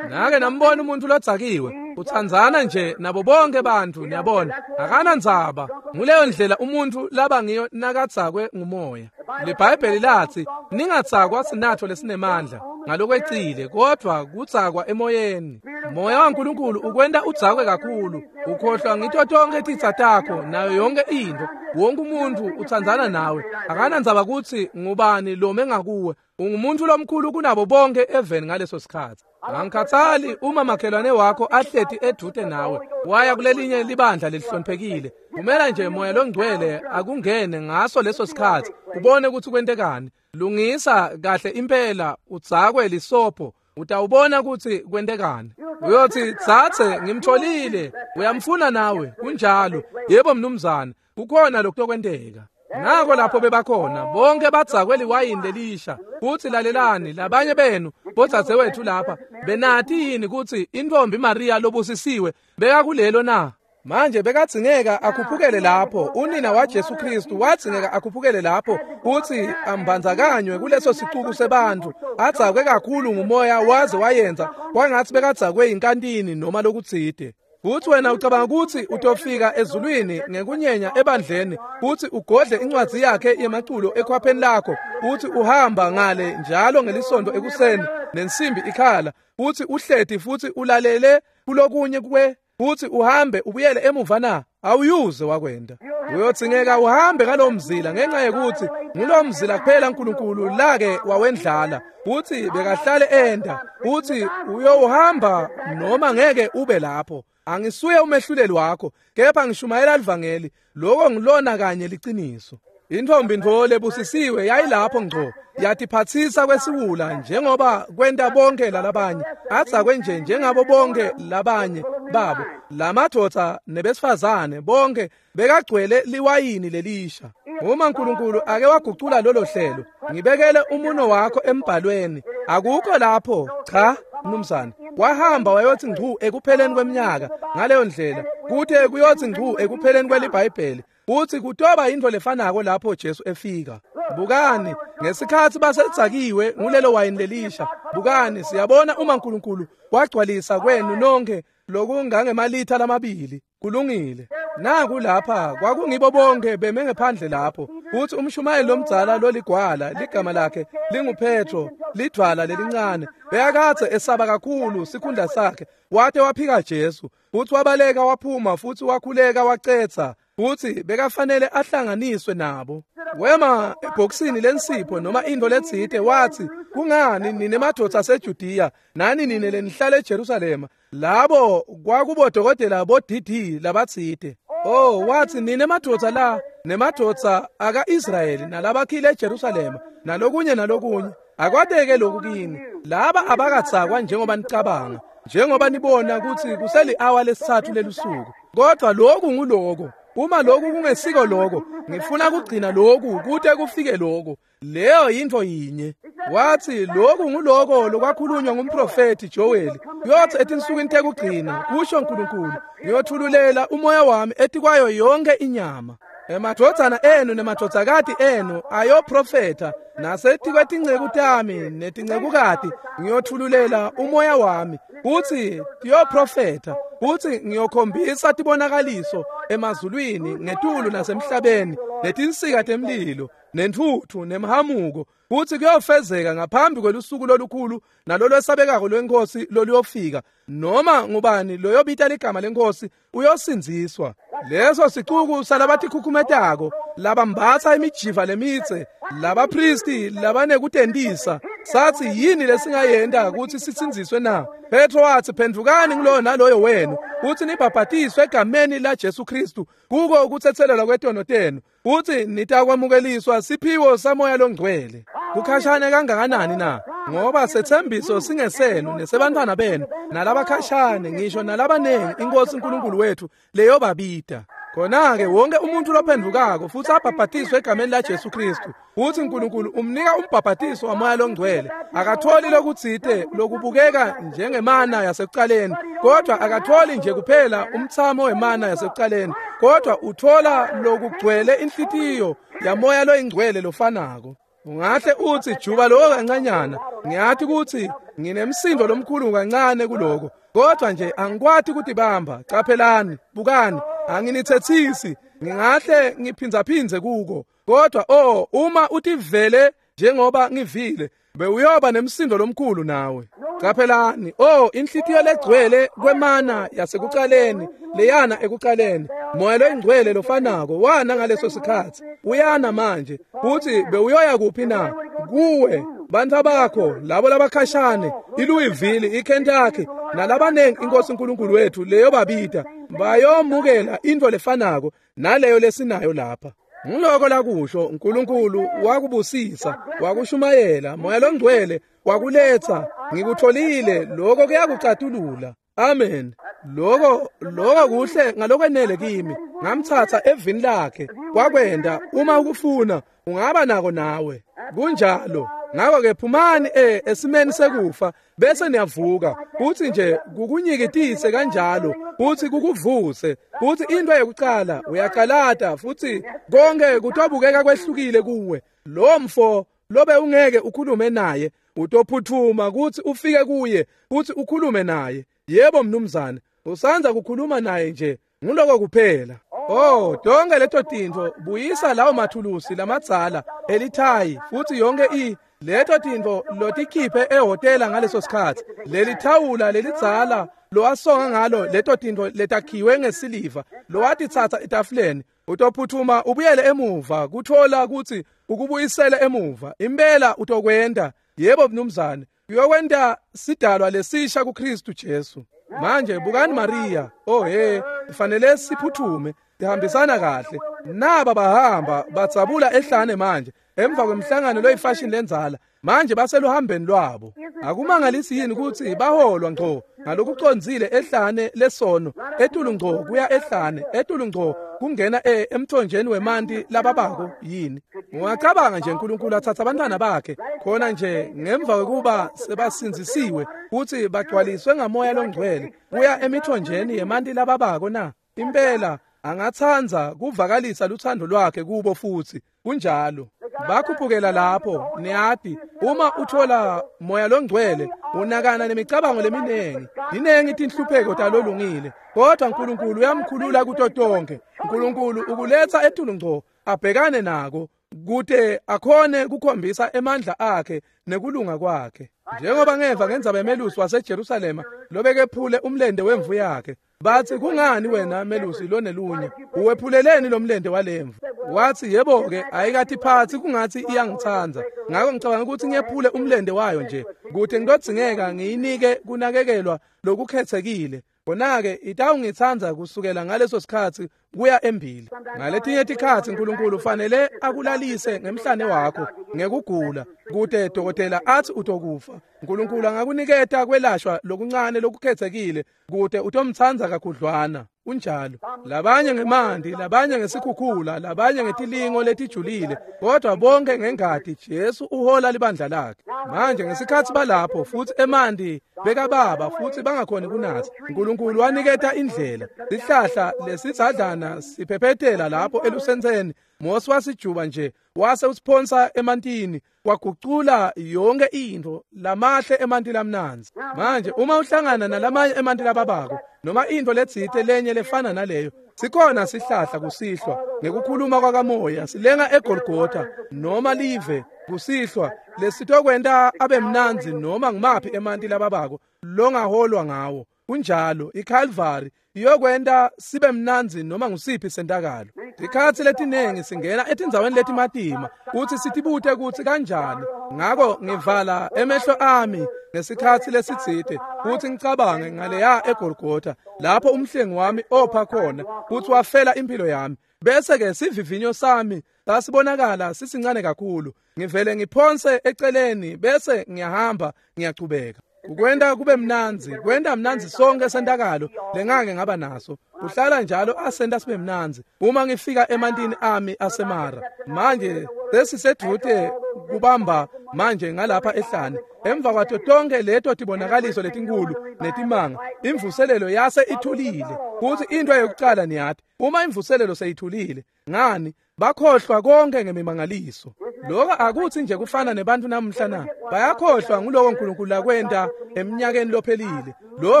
Nake nambona umuntu lodzakiwe? Utsandzana nje nabo bonke bantfu, niyabona. Akanandzaba. Nguleyo ndlela umuntfu laba ngiyo nakadzakwe ngumoya. LiBhayibheli latsi ningatsakwa sinatfo lesinemandla ngalokwecile, kodvwa kudzakwa emoyeni. Moya waNkulunkulu ukwenta udzakwe kakhulu, ukhohlwa ngito tonkhe titsa takho nayo yonke intfo. Wonke umuntfu utsandzana nawe, akanandzaba kutsi ngubani lome ngakuwe. Ungumuntu lomkhulu kunabo bonke eveni ngaleso sikhatsi. Angikhathali uma makhelwane wakho ahleti edvute nawe waya kulelinye libandla lelihloniphekile, kumela nje moya longcwele akungene ngaso leso sikhatsi ubone kutsi kwentekani. Lungisa kahle impela, udzakwe lisopho, utawubona kutsi kwentekani. Uyotsi, "Tsatse, ngimtholile." Uyamfuna nawe, kunjalo. Yebo mnumzane, kukhona lokutokwenteka. Nako lapho bebakhona bonke badzakwe liwayini lelisha. Futsi lalelani, labanye benu bodzadzewethu lapha, benati yini kutsi intfombi Maria lobusisiwe bekakulelo na? Manje bekadzingeka akhuphukele lapho, unina waJesu Kristu wadzingeka akhuphukele lapho kutsi ambandzakanywe kuleso sicuku sebantfu, adzakwe kakhulu ngumoya waze wayenza kwangatsi bekadzakwe yinkantini noma lokutsite. Futsi wena ucabanga kutsi utofika ezulwini ngekunyenya ebandleni, futsi ugodle incwadzi yakhe yemaculo ekhwapheni lakho, futsi uhamba ngale njalo ngelisonto ekuseni nensimbi ikhala, futsi uhleti futsi ulalele kulokunye kwe, futsi uhambe ubuyele emuva na? Awuyuze wakwenda. Uyodzingeka uhambe ngalo mzila ngenxa yekutsi ngulo mzila kuphela uNkulunkulu lake wawendlala, futsi bekahlale enda, futsi uyohamba noma ngeke ube lapho. Angisuye umehluleli wakho, kepha ngishumayela livangeli. Lokho ngilona kanye liciniso. Intfombi ntfo lebusisiwe yayilapho ngco, yatiphatsisa kwesiwula njengoba kwenta bonke lalabanye, adzakwe nje njengabo bonke labanye babo. Lamadvodza nebesifazane bonke bekagcwele liwayini lelisha. Uma uNkulunkulu ake wagucula lolo hlelo, ngibekele umuno wakho embhalweni. Akukho lapho, cha mnumzane. Wahamba wayotsi ngcu ekupheleni kweminyaka ngaleyo ndlela, kuthe kuyotsi ngcu ekupheleni kweliBhayibheli, futsi kutoba intfo lefanako lapho Jesu efika. Bukani, ngesikhatsi basedzakiwe ngulelo wayini lelisha, bukani, siyabona uma uNkulunkulu wagcwalisa kwenu nonke lokungangemalitha lamabili. Kulungile. Naku lapha kwakungibo bonke beme ngephandle lapho, futsi umshumayeli lomdzala loligwala, ligama lakhe linguPetro, lidvwala lelincane, bekakadze esaba kakhulu sikhundla sakhe, wate waphika Jesu, futsi wabaleka waphuma, futsi wakhuleka wacetsa, futsi bekafanele ahlanganiswe nabo. Wema ebhokisini lensipho noma intfo letsite, watsi, "Kungani nine madvodza aseJudiya nani nine lenihlala eJerusalema?" Labo kwakubodokotela bo-DD labatsite. Oh, watsi, "Nine madvodza la nemadvodza aka-Israyeli nalabakhile eJerusalema nalokunye nalokunye, akwateke lokhu kini. Laba abakadzakwa njengoba nicabanga, njengoba nibona kutsi kuseli-awa lesitsatfu lelusuku. Kodwa lokhu nguloko. Uma lokhu kungesiko lokho, ngifuna kugcina lokhu kute kufike lokho. Leyo yintfo yinye." Watsi, "Lokhu nguloko lokwakhulunywa ngumprofethi Joel. Kuyothi etinsukwini tekugcina, kusho uNkulunkulu, ngiyothululela umoya wami etikwayo yonke inyama. Emadvodzana enu nemadvodzakati enu ayoprofetha, nasetikwetinceku tami netincekukati ngiyothululela umoya wami, kutsi tiyoprofetha, kutsi ngiyokhombisa tibonakaliso emazulwini ngetulu nasemhlabeni, netinsika temlilo, nentfutfu nemhamuko, kutsi kuyofezeka ngaphambi kwelusuku lolukhulu nalolwesabekako lweNkhosi loluyofika. Noma ngubani loyobita ligama leNkhosi uyosindziswa." Leso sicuku salabatikhukhumetako, labambatsa imijiva lemitse, labapristi labanekutentisa, satsi, "Yini lesingayenta kutsi sisindziswe na?" Petro watsi, "Phendvukani nguloyo naloyo wenu, kutsi nibhabhatiswe egameni laJesu Kristu kuko ukutsetselelwa kwetono tenu, kutsi nitakwamukeliswa siphiwo saMoya loNgcwele." Kukhashane kangakanani na? Ngoba setsembiso singesenu nesebantfwana benu nalabakhashane, ngisho nalabanengi iNkhosi uNkulunkulu wethu leyobabita. Khona-ke wonke umuntu lophendvukako futsi abhabhatiswe egameni laJesu Kristu, futsi uNkulunkulu umnika umbhabhatiso waMoya loNgcwele. Akatholi lokutsite lokubukeka njengemana yasekucaleni, kodwa akatholi nje kuphela umtsamo wemana yasekucaleni, kodwa uthola lokugcwele inhlitiyo yaMoya loyingcwele lofanako. Ungahle utsi juba lokho kancanyana. Ngiyathi kutsi nginemsindo lomkhulu kancane kuloko, kodwa nje angikwati kutibamba. Caphelani, bukani, anginithethisi, ngingahle ngiphindzaphindze kuko, kodwa oh, uma utivele njengoba ngivile, bewuyoba nemsindo lomkhulu nawe. Caphelani, oh, inhlitiyo legcwele kwemana yasekucaleni, leyana ekucaleni, moya loyingcwele lofanako wana ngaleso sikhatsi, uyana manje. Futhi bewuyoya kuphi na? Kuwe, bantfu bakho, labo labakhashane, iLouisville, iKentucky, nalabanengi iNkosi uNkulunkulu wethu leyo babita, bayomukela intfo lefanako naleyo lesinayo lapha. Ngiloko lakusho uNkulunkulu wakubusisa, wakushumayela, moya longcwele wakuletsa, ngikutholile lokho kuyakucatulula. Amen. Lokho kuhle ngalokwenele kimi. Ngamthatha evini lakhe, kwakwenda. Uma ukufuna ungaba nako nawe. Kunjalo. Ngakho ke phumani esimeni sekufa bese niyavuka. Uthi nje kukunyikitise kanjalo, uthi kukuvuse, uthi into yokuqala uyaqalata, futhi konke kutobukeka kwehlukile kuwe. Lo mfo lobe ungeke ukhulume naye, utophuthuma kuthi ufike kuye, kuthi ukhulume naye. Yebo mnumzane, usanza kukhuluma naye nje, nguloko kuphela. Oh, tonke leto tintfo, buyisa lawo mathulusi lamadzala elithayi, futhi yonke leto tintfo lotikhiphe ehhotela ngaleso sikhatsi, leli thawula lelidzala lowasonga ngalo leto tintfo letakhiwe ngesiliva lowatitsatsa etafuleni, utophuthuma ubuyele emuva kuthola kutsi ukubuyisele emuva. Impela utokwenta. Yebo mnumzane, uyokwenta sidalwa lesisha kuKristu Jesu. Manje bukani Maria. Oh he, kufanele siphuthume, ihambisana kahle. Naba bahamba batsabula ehlane manje emva kwemhlangano loyifashion lenzala. Manje baseluhambeni lwabo. Akumangalisi yini ukuthi baholwa ngco ngalokucondzile ehlane lesono, etulu ngco kuya ehlane, etulu ngco kungena emthonjeni wemanti lababako yini? Ungacabanga nje uNkulunkulu athatha abantwana bakhe khona nje ngemva kwekuba sebasindzisiwe futhi bagcwaliswe ngamoya longcwele kuya emithonjeni yemanti lababako na? Impela angathandza kuvakalisa luthando lwakhe kubo futhi. Kunjalo. Bakhuphukela lapho, niyati, uma uthola moya longcwele unakana nemicabango leminengi, ninengi tinhlupheko talolungile, kodwa uNkulunkulu uyamkhulula kuto tonke. uNkulunkulu ukuletha etulu ngco abhekane nako kute akhone kukhombisa emandla akhe nekulunga kwakhe. Njengoba ngeva ngendzaba yemelusi waseJerusalema lobekephule umlende wemvu yakhe, bathi kungani wena melusi lonelunya uwephuleleni lo mlende walemvu? Wathi yebo-ke, ayikathiphathi kungathi iyangithanda, ngakho ngicabanga ukuthi ngiyephule umlende wayo nje kude ngitodzingeka ngiyinike kunakekelwa lokukhethekile. Khona-ke itawungithanda kusukela ngaleso sikhatsi kuya embili. Ngaletinye tikhatsi uNkulunkulu ufanele akulalise ngemhlane wakho ngekugula kute dokotela athi utokufa. uNkulunkulu angakuniketa kwelashwa lokuncane lokukhethekile kute utomtsandza kakhudlwana. Kunjalo. Labanye ngemanti, labanye ngesikhukhula, labanye ngetilingo letijulile, kodwa bonke ngengati Jesu uhola libandla lakhe. Manje ngesikhatsi balapho futhi emanti bekababa futhi bangakhoni kunatsa, uNkulunkulu waniketa indlela. Sihlahla lesidzadlana siphephethela lapho elusentseni, Mose wasijuba nje wase usiphonsa emantini, wagucula yonke intfo lamahle emanti lamnandzi. Manje uma uhlangana nalamanye emanti lababako noma intfo letsite lenye lefana naleyo, sikhona sihlahla kusihlwa ngekukhuluma kwakamoya silenga eGolgotha noma live kusihlwa lesitokwenta abe mnandzi noma ngumaphi emanti lababako longaholwa ngawo. Kunjalo, iCalvary iyokwenta sibe mnandzi noma ngusiphi sentakalo. Tikhatsi letinengi singena etindzaweni letimatima kutsi sitibute kutsi kanjani. Ngako ngivala emehlo ami ngesikhatsi lesitsite kutsi ngicabange ngaleya eGolgotha lapho umhlengi wami opha khona kutsi wafela impilo yami. Bese ke sivivinyo sami sasibonakala sisincane kakhulu. Ngivele ngiphonse eceleni bese ngiyahamba ngiyachubeka. Ukwenta kube mnandzi, kwenta mnandzi sonke sentakalo lengake ngaba naso. Kuhlala njalo asenta sibe mnandzi uma ngifika emantini ami asemara. Manje sesisedvute kubamba manje ngalapha ehlane. Emva kwato tonke leto tibonakaliso letinkulu netimanga, imvuselelo yase ithulile. Kuthi into yokucala niyati, uma imvuselelo seyithulile, ngani bakhohlwa konke ngemimangaliso. Lokho akuthi nje kufana nebantu namuhla na? Bayakhohlwa nguloko uNkulunkulu lakwenta eminyakeni lophelile, lowo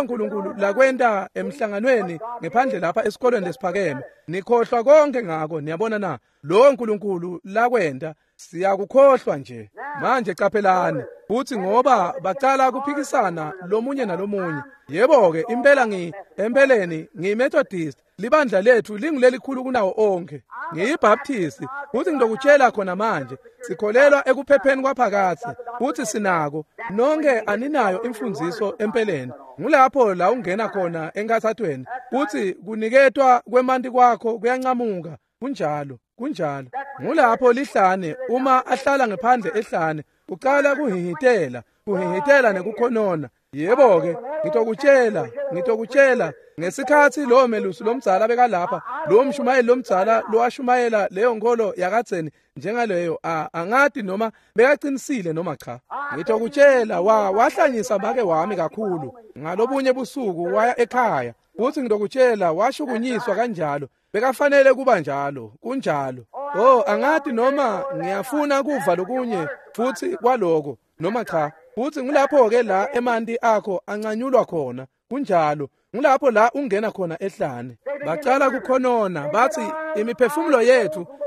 uNkulunkulu lakwenta emhlanganweni ngephandle lapha esikolweni lesiphakeme. Nikhohlwa konke ngako, niyabona na? Lowo uNkulunkulu lakwenta siyakukhohlwa nje. Manje qaphelani, futhi ngoba bacala kuphikisana lomunye nalomunye. Yebo-ke, impela empeleni ngiyiMethodist, libandla lethu lingulelikhulu kunawo onke. NgiyiBaptist, futhi ngitokutshela khona manje, sikholelwa ekuphepheni kwaphakatsi, futhi sinako. Nonke aninayo imfundziso empeleni. Ngulapho la ungena khona enkathathweni, futhi kuniketwa kwemanti kwakho kuyancamuka. Kunjalo, kunjalo. Ngulapho lihlane, uma ahlala ngephandle ehlane, ucala kuhihitela, kuhihitela nekukhonona. Yebo-ke, ngitokutshela ngesikhathi lowo melusi lomdzala bekalapha, lowo mshumayeli lomdzala lowashumayela leyo nkolo yakadzeni njengaleyo, angati noma bekaqinisile noma cha. Ngitokutshela, wahlanyisa make wami kakhulu. Ngalobunye busuku waya ekhaya, futhi ngitokutshela washukunyiswa kanjalo. Bekafanele kuba njalo, kunjalo. Oh, angati noma ngiyafuna kuva lokunye futhi kwaloko noma cha. Futhi ngulapho-ke la emanti akho ancanyulwa khona, kunjalo. Ngulapho la ungena khona ehlane. Bacala kukhonona, bathi imiphefumulo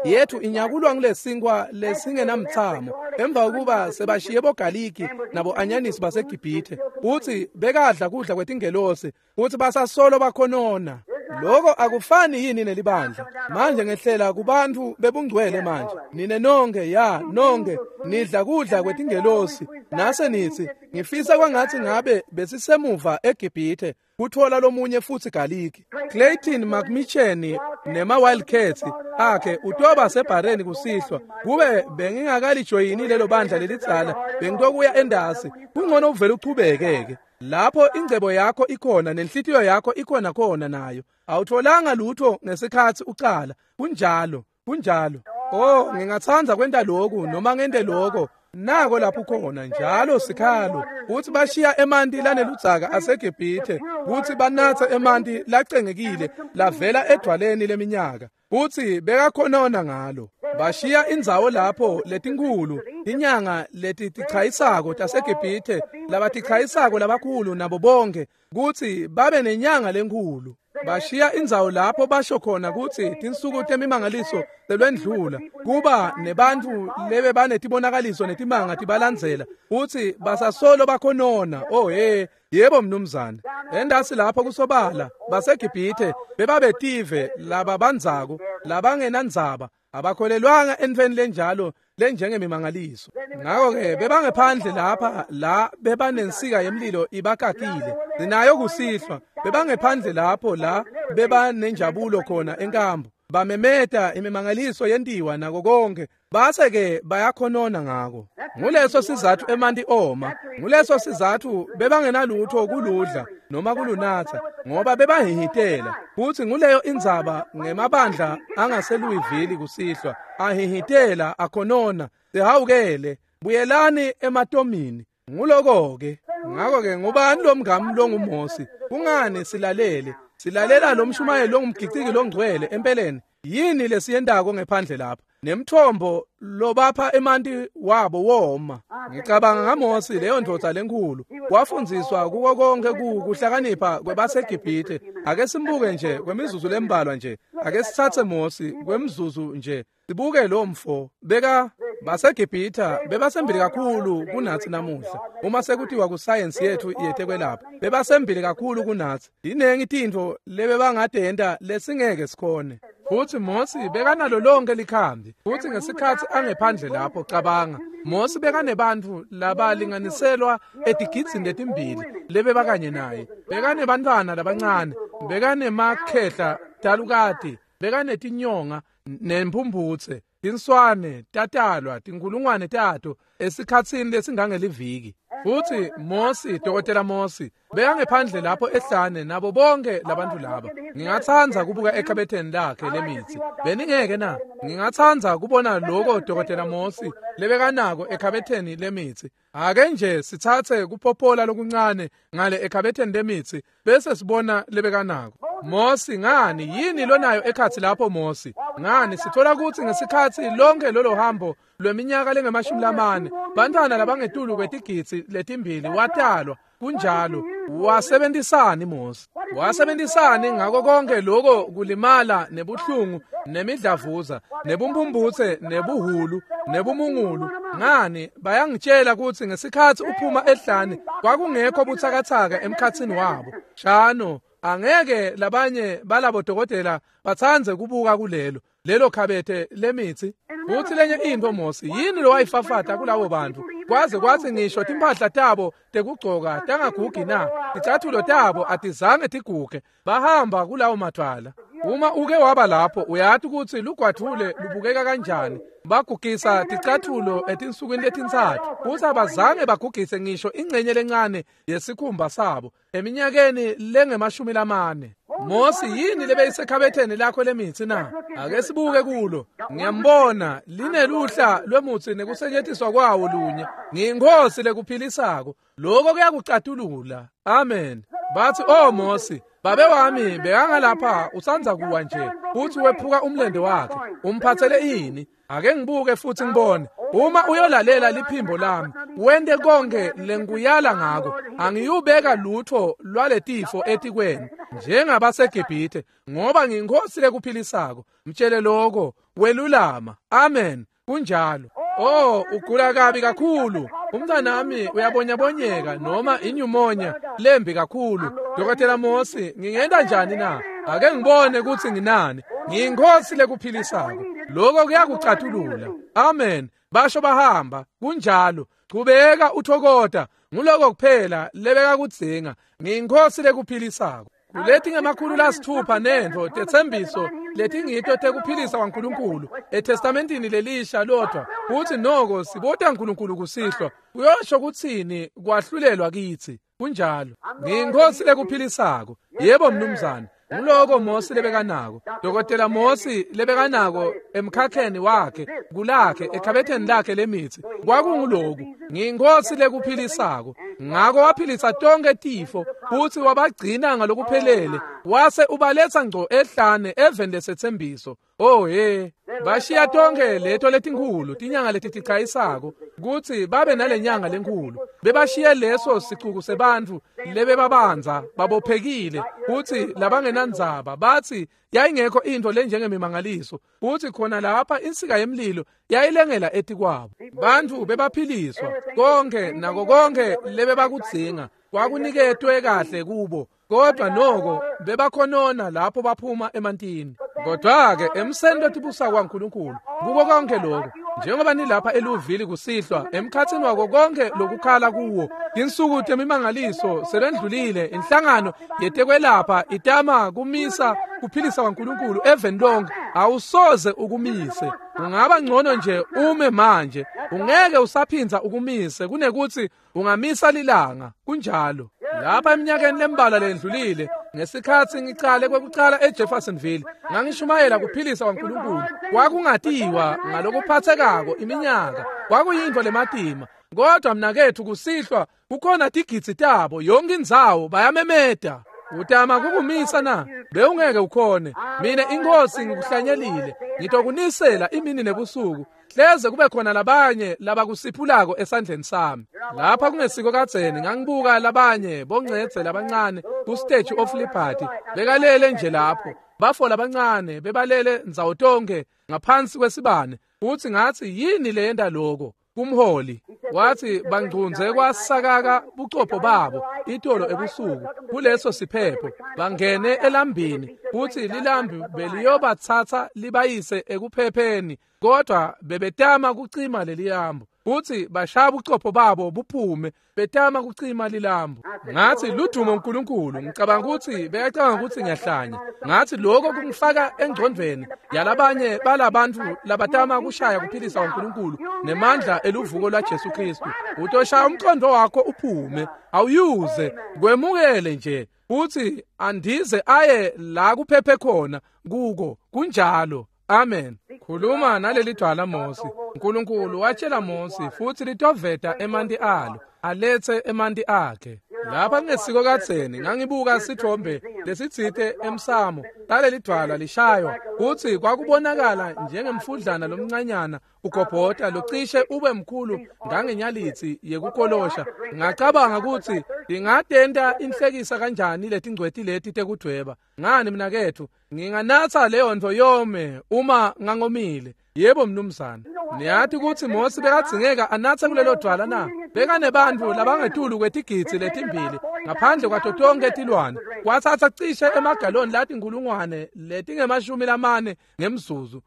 yethu inyakulwa ngulesinkwa lesingenamthamo. Emva kokuba sebashiye bogaliki nabo anyanisi baseGibhithe, futhi bekadla kudla kwetingelosi, futhi basasolo bakhonona. Lokho akufani yini nelibandla? Manje ngehlela kubantu bebungcwele manje. Nine nonke, ya, nonke nidla kudla kwetingelosi. Nase nithi, ngifisa kwangathi ngabe besisemuva eGibhithe kuthola lomunye futhi galiki. Clayton McMichen nema Wildcats akhe utoba sebhareni kusihlwa. Kube bengingakalijoyini lelo bandla lelidzala, bengitokuya endasi. Kungcono uvele uchubekeke. Lapho ingcebo yakho ikhona nenhlitiyo yakho ikhona khona nayo. Awutholanga lutho ngesikhathi ucala. Kunjalo, kunjalo. Oh, ngingathanda kwenta lokhu noma ngente lokho. Nako lapho khona njalo sikhalo. Uthi bashiya emanti laneludzaka aseGibhithe, kuthi banathe emanti lacengekile lavela edwaleni leminyaka. Kuthi bekakhonona ngalo. Bashiya indzawo lapho letinkulu, inyanga letitichayisako taseGibhithe, labatichayisako labakhulu nabo bonke, kuthi babe nenyanga lenkulu. Bashiya indzawo lapho basho khona kutsi tinsuku temimangaliso selwendlula, kuba nebantfu lebe banetibonakaliso netimanga tibalandzela, kutsi basasolo bakhonona. Oh hey, yebo mnumzane. Endasi lapho kusobala baseGibhithe bebabetive lababandzako, labangenandzaba, abakholelwanga entfweni lenjalo lenjengemimangaliso. Ngakho-ke bebangephandle lapha la bebanensika yemlilo ibakakile. Sinayo kusihlwa, bebangephandle lapho la bebanenjabulo khona enkambu. Bamemeta imimangaliso yentiwa nako konke, base-ke bayakhonona ngako. Nguleso sizathu emanti oma, nguleso sizathu bebangenalutho kuludla noma kulunatsa, ngoba bebahihitela. Futhi nguleyo indzaba ngemabandla angaseLouisville kusihlwa, ahihitela akhonona. Sihawukele, buyelani ematomini. Nguloko-ke. Ngakho-ke ngubani lo mngami longuMosi? Kungani silalele? Silalela lo mshumayeli longumgiciki longcwele empeleni. Yini lesiyentako ngephandle lapha? Nemthombo lobapha emanti wabo woma. Ngicabanga ngaMosi, leyo ndvodza lenkhulu, wafundziswa kuko konke kuhlakanipha kwebaseGibhithe. Ake simbuke nje kwemizuzu lembalwa nje. Ake sitsatse Mosi kwemizuzu nje. Sibuke lo mfo. Beka baseGibhithe bebasembili kakhulu kunatsi namuhla. Uma sekuthiwa kusayensi yethu yetekwelapha, bebasembili kakhulu kunatsi. Tinengi tintfo lebebangatenta lesingeke sikhone. Futhi Mosi bekanalo lonke likhambi. Futhi ngesikhathi angephandle lapho, cabanga, Mosi bekanebantfu labalinganiselwa etigidzini letimbili lebebakanye naye. Bekanebantfwana labancane, bekanemakhehla talukati, bekanetinyonga nempumphutse, tinswane tatalwa tinkulungwane tato esikhatsini lesingangeliviki. Futhi Mosi, Dokotela Mosi, bekangephandle lapho ehlane nabo bonke labantu laba. Ngingatsandza kubuka ekhabetheni lakhe lemitsi. Beningeke na? Ngingatsandza kubona lokho Dokotela Mosi lebekanako ekhabetheni lemitsi. Ake nje sitsatse kuphopola lokuncane ngale ekhabetheni lemitsi bese sibona lebekanako. Mosi, ngani yini lonayo ekhatsi lapho Mosi? Ngani sithola kutsi ngesikhatsi lonke lolo hambo lweminyaka lengama-40, bantfwana labangetulu kwetigidzi letimbili watalwa. Kunjalo. Wasebentisani Mosi? Wasebentisani ngako konke lokho kulimala nebuhlungu nemidlavuza nebumpumputse nebuhulu nebumungulu? Ngani bayangitshela kutsi ngesikhatsi uphuma ehlane kwakungekho butsakatsaka emkhatsini wabo. Shano, angeke labanye balabo dokotela batsandze kubuka kulelo lelo khabethe lemitsi. Futsi lenye intfo Mosi, yini lowayifafata kulabo bantfu kwaze kwatsi ngisho timphahla tabo tekugcoka tangagugi na? Ticatfulo tabo atizange tiguge, bahamba kulawo madvwala. Uma uke waba lapho uyati kutsi lugwadvule lubukeka kanjani. Bagugisa ticatfulo etinsukwini letintsatfu, futsi abazange bagugise ngisho ingcenye lencane yesikhumba sabo eminyakeni lengama-40. Mosi, yini lebeyisekhabetheni lakho lemitsi na? Ake sibuke kulo. Ngiyambona lineluhla lwemutsi nekusetjentiswa kwawo lunye. Ngiyinkosi lekuphilisako. Lokho kuyakucatulula. Amen. Bathi, "Oh Mosi, babe wami bekangalapha usandza kuwa nje, futhi wephuka umlende wakhe. Umphathele ini? Ake ngibuke futhi ngibone. Uma uyolalela liphimbo lami, wente konke lengikuyala ngako, angiyubeka lutho lwaletifo etikweni njengabaseGibhithe, ngoba ngiyinkosi lekuphilisako." Mtshele lokho, welulama. Amen. Kunjalo. Oh, ugula kabi kakhulu. Umntanami uyabonyabonyeka noma inyumonya lembi kakhulu. Dokotela Mosi, ngingenta njani na? Ake ngibone kutsi nginani. Ngiyinkosi lekuphilisako. Lokho kuyakucatulula. Amen. Basho bahamba. Kunjalo. Chubeka uthokota. Nguloko kuphela lebeka kudzinga. Ngiyinkosi lekuphilisako. Kuleti ngama-600 nentfo tetsembiso letingito tekuphilisa kwaNkulunkulu eTestamentini lelisha lodwa, kutsi noko sibota uNkulunkulu kusihlwa kuyosho kutsini kwahlulelwa kitsi. Kunjalo. Ngiyinkosi lekuphilisako. Yebo mnumzane. Nguloko Mosi lebekanako. Dokotela Mosi lebekanako emkhakheni wakhe, kulakhe, ekhabetheni lakhe lemitsi. Kwakunguloku. Ngiyinkosi lekuphilisako. Ngako waphilisa tonke tifo futsi wabagcina ngalokuphelele, wase ubaletsa ngco ehlane eveni lesetsembiso. Oh he, bashiya tonke leto letinkhulu tinyanga letitichayisako kutsi babe nalenyanga lenkhulu. Bebashiye leso sicuku sebantfu lebebabanza babophekile kutsi labangenandzaba batsi yayingekho intfo lenjengemimangaliso, kutsi khona lapha insika yemlilo yayilengela etikwabo. Bantfu bebaphiliswa konke nako konke lebebakudzinga kwakuniketwe kahle kubo, kodwa noko bebakhonona lapho baphuma emantini. Kodwa-ke emseni lotibusa kwaNkulunkulu kuko konke lokho, njengoba nilapha eluvili kusihlwa emkhatsini wako konke lokukhala kuwo, tinsuku temimangaliso selendlulile. Inhlangano yetekwelapha itama kumisa kuphilisa kwaNkulunkulu eveni lonke. Awusoze ukumise. Ungaba ngcono nje ume manje. Ungeke usaphindza ukumise kunekuthi ungamisa lilanga. Kunjalo. Lapha eminyakeni lembalwa lendlulile, ngesikhatsi ngicale kwekucala eJeffersonville, ngangishumayela kuphilisa kwaNkulunkulu. Kwakungatiwa ngalokuphatsekako iminyaka, kwakuyintfo lematima. Kodwa mnaketfu kusihlwa kukhona tigidzi tabo yonke indzawo bayamemeta. Utama kukumisa na? Bewungeke ukhone. Mina inkosi ngikuhlanyelile, ngitokunisela imini nebusuku, hleze kube khona labanye labakusiphulako esandleni sami. Lapha kungesiko kadzeni ngangibuka labanye boncedze labancane ku-Statue of Liberty bekalele nje lapho. Bafo labancane bebalele ndzawo tonke ngaphansi kwesibane. Futsi ngatsi, yini leyenta loko? Kumholi wathi bangcunze kwasakaka bucopho babo itolo ebusuku kuleso siphepho, bangene elambini, futhi lilambi beliyobatsatsa libayise ekuphepheni, kodwa bebetama kucima lelilambu, futhi bashaya bucopho babo buphume betama kucima lilambu. Ngathi, ludumo uNkulunkulu. Ngicabanga ukuthi bekacabanga ukuthi ngiyahlanya. Ngathi, lokho kungifaka engcondvweni yalabanye balabantu labatama kushaya kuphilisa uNkulunkulu nemandla eluvuko lwaJesu Kristu. Utoshaya umqondo wakho uphume, awuyuze kwemukele nje futhi andize aye la kuphephe khona kuko. Kunjalo. Amen. Khuluma naleli dwala Mosi. uNkulunkulu watshela Mosi futhi litoveta emanti alo, alethe emanti akhe. Lapha kungesiko kadzeni ngangibuka sithombe lesitsite emsamo talelidvwala lishaywa kutsi kwakubonakala njengemfudlana lomncanyana ugobhota locishe ube mkhulu ngangenyalitsi yekukolosha. Ngacabanga kutsi ingatenta inhlekisa kanjani letingcweti leti tekudvweba. Ngani mnaketfu, nginganatsa leyo ntfo yome uma ngangomile. Yebo mnumzane. Niyati kutsi Mosi bekadzingeka anatse kulelo dvwala na? Bekanebantfu labangetulu kwetigidzi letimbili ngaphandle kwato tonkhe tilwane. Kwatsatsa cishe emagaloni latinkhulungwane letinge-40 ngemzuzu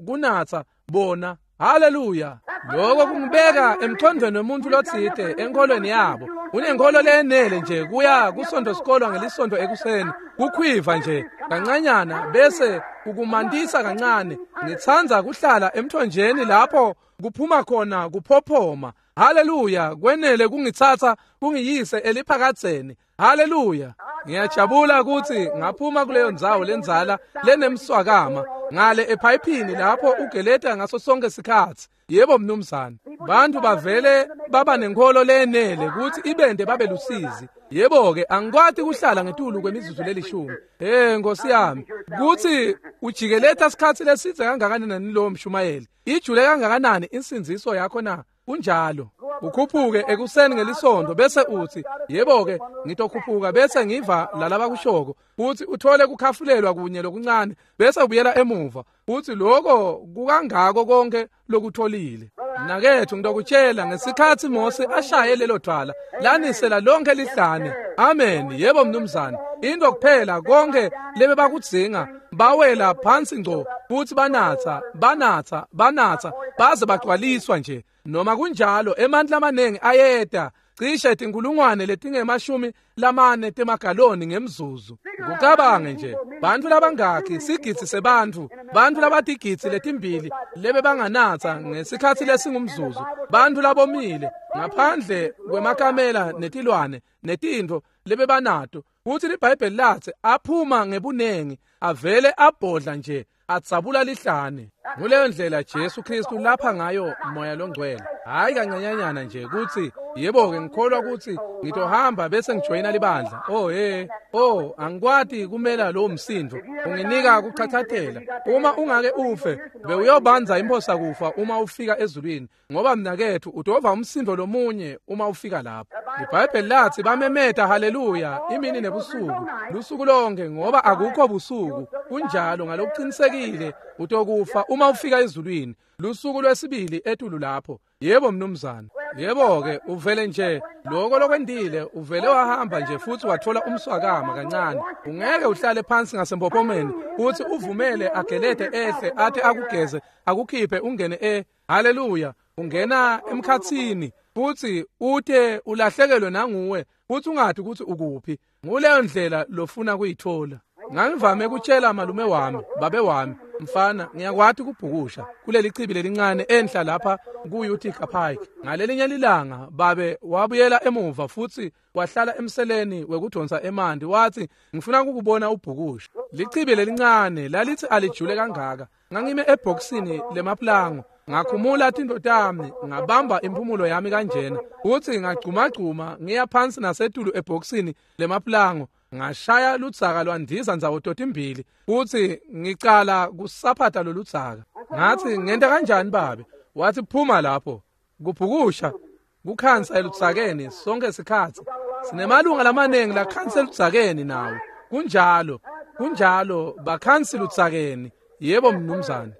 kunatsa bona. Haleluya! Lokho kungibeka emqondweni wemuntu lotsite enkholweni yabo. Unenkholo leyenele nje kuya kusonto sikolwa ngelisonto ekuseni, kukhwiva nje kancanyana bese kukumantisa kancane. Ngitsandza kuhlala emthonjeni lapho kuphuma khona kuphophoma. Haleluya! Kwenele kungitsatsa kungiyise eliphakadzeni. Haleluya! Ngiyajabula kutsi ngaphuma kuleyo ndzawo lendzala lenemswakama ngale ephayiphini lapho ugeleta ngaso sonke sikhatsi. Yebo mnumzane. Bantu bavele baba nenkholo leyenele kutsi ibende babe lusizi. Yebo-ke, angikwati kuhlala ngetulu kwemizuzu lelishumi. Hey Nkosi yami, kutsi ujikeleta sikhatsi lesidze kangakanani lowo mshumayeli? Ijule kangakanani insindziso yakho na? Kunjalo. Ukhuphuke ekuseni ngelisonto bese utsi, yebo-ke, ngitokhuphuka bese ngiva lalabakushoko, kutsi uthole kukhafulelwa kunye lokuncane bese ubuyela emuva, kutsi lokho kukangako konke lokutholile. Mnaketfu, ngitokutshela, ngesikhatsi Mosi ashaye lelo dvwala lanisela lonke lihlane. Amen. Yebo mnumzane. Into kuphela konke lebebakudzinga, bawela phansi ngco futsi banatsa banatsa banatsa baze bagcwaliswa nje. Noma kunjalo emandla amanengi ayeta, cishe tinkulungwane letinge-40 temagaloni ngemzuzu. Kucabange nje, bantfu labangakhi, sigidzi sebantfu, bantfu labatigidzi letimbili lebebanganatsa ngesikhatsi lesingumzuzu, bantfu labomile ngaphandle kwemakamela netilwane netintfo lebebanato. Kutsi liBhayibheli latsi aphuma ngebunengi, avele abhodla nje adzabula lihlane. Nguleyo ndlela Jesu Kristu lapha ngayo Moya loNgcwele. Hayi kancanyanyana nje kutsi yebo-ke ngikholwa kutsi ngitohamba bese ngijoyina libandla. Oh he, oh angikwati kumela lowo msindvo, unginika kuchachatela. Uma ungake ufe, bewuyobanza imphosa kufa uma ufika ezulwini, ngoba mnaketfu utova umsindvo lomunye uma ufika lapho. IBhayibheli lathi bamemeta haleluya imini nebusuku, lusuku lonke, ngoba akukho busuku. Kunjalo ngalokuqinisekile utokufa uma ufika ezulwini, lusuku lwesibili etulu lapho. Yebo mnumzane. Yebo-ke, uvele nje lokho lokwentile, uvele wahamba nje futhi wathola umswakama kancane. Ungeke uhlale phansi ngasempophomeni futhi uvumele agelede ehle athi akugeze akukhiphe ungene haleluya, ungena emkhatsini futhi ute ulahlekelwe nanguwe futhi ungathi ukuthi ukuphi. Nguleyo ndlela lofuna kuyithola. Ngangivame kutshela malume wami, babe wami, mfana, ngiyakwati kubhukusha kuleli chibi lelincane enhla lapha ku-Utica Pike. Ngalelinye lilanga babe wabuyela emuva futhi wahlala emseleni wekudonsa emanti, wathi ngifuna ukukubona ubhukusha. Lichibi lelincane lalithi alijule kangaka. Ngangime ebhokisini lemaplango, ngakhumula tintfo tami, ngabamba impumulo yami kanjena, uthi ngagcumagcuma ngiya phansi nasetulu ebhokisini lemaplango, ngashaya ludzaka lwandiza ndzawo totimbili, kuthi ngicala kusaphata loludzaka. Ngathi ngenta kanjani babe? Wathi phuma lapho. Kubhukusha kukhansa eludzakeni sonke sikhatsi. Sinemalunga lamanengi lakhansa eludzakeni nawo. Kunjalo, kunjalo, bakhansi ludzakeni. Yebo mnumzane.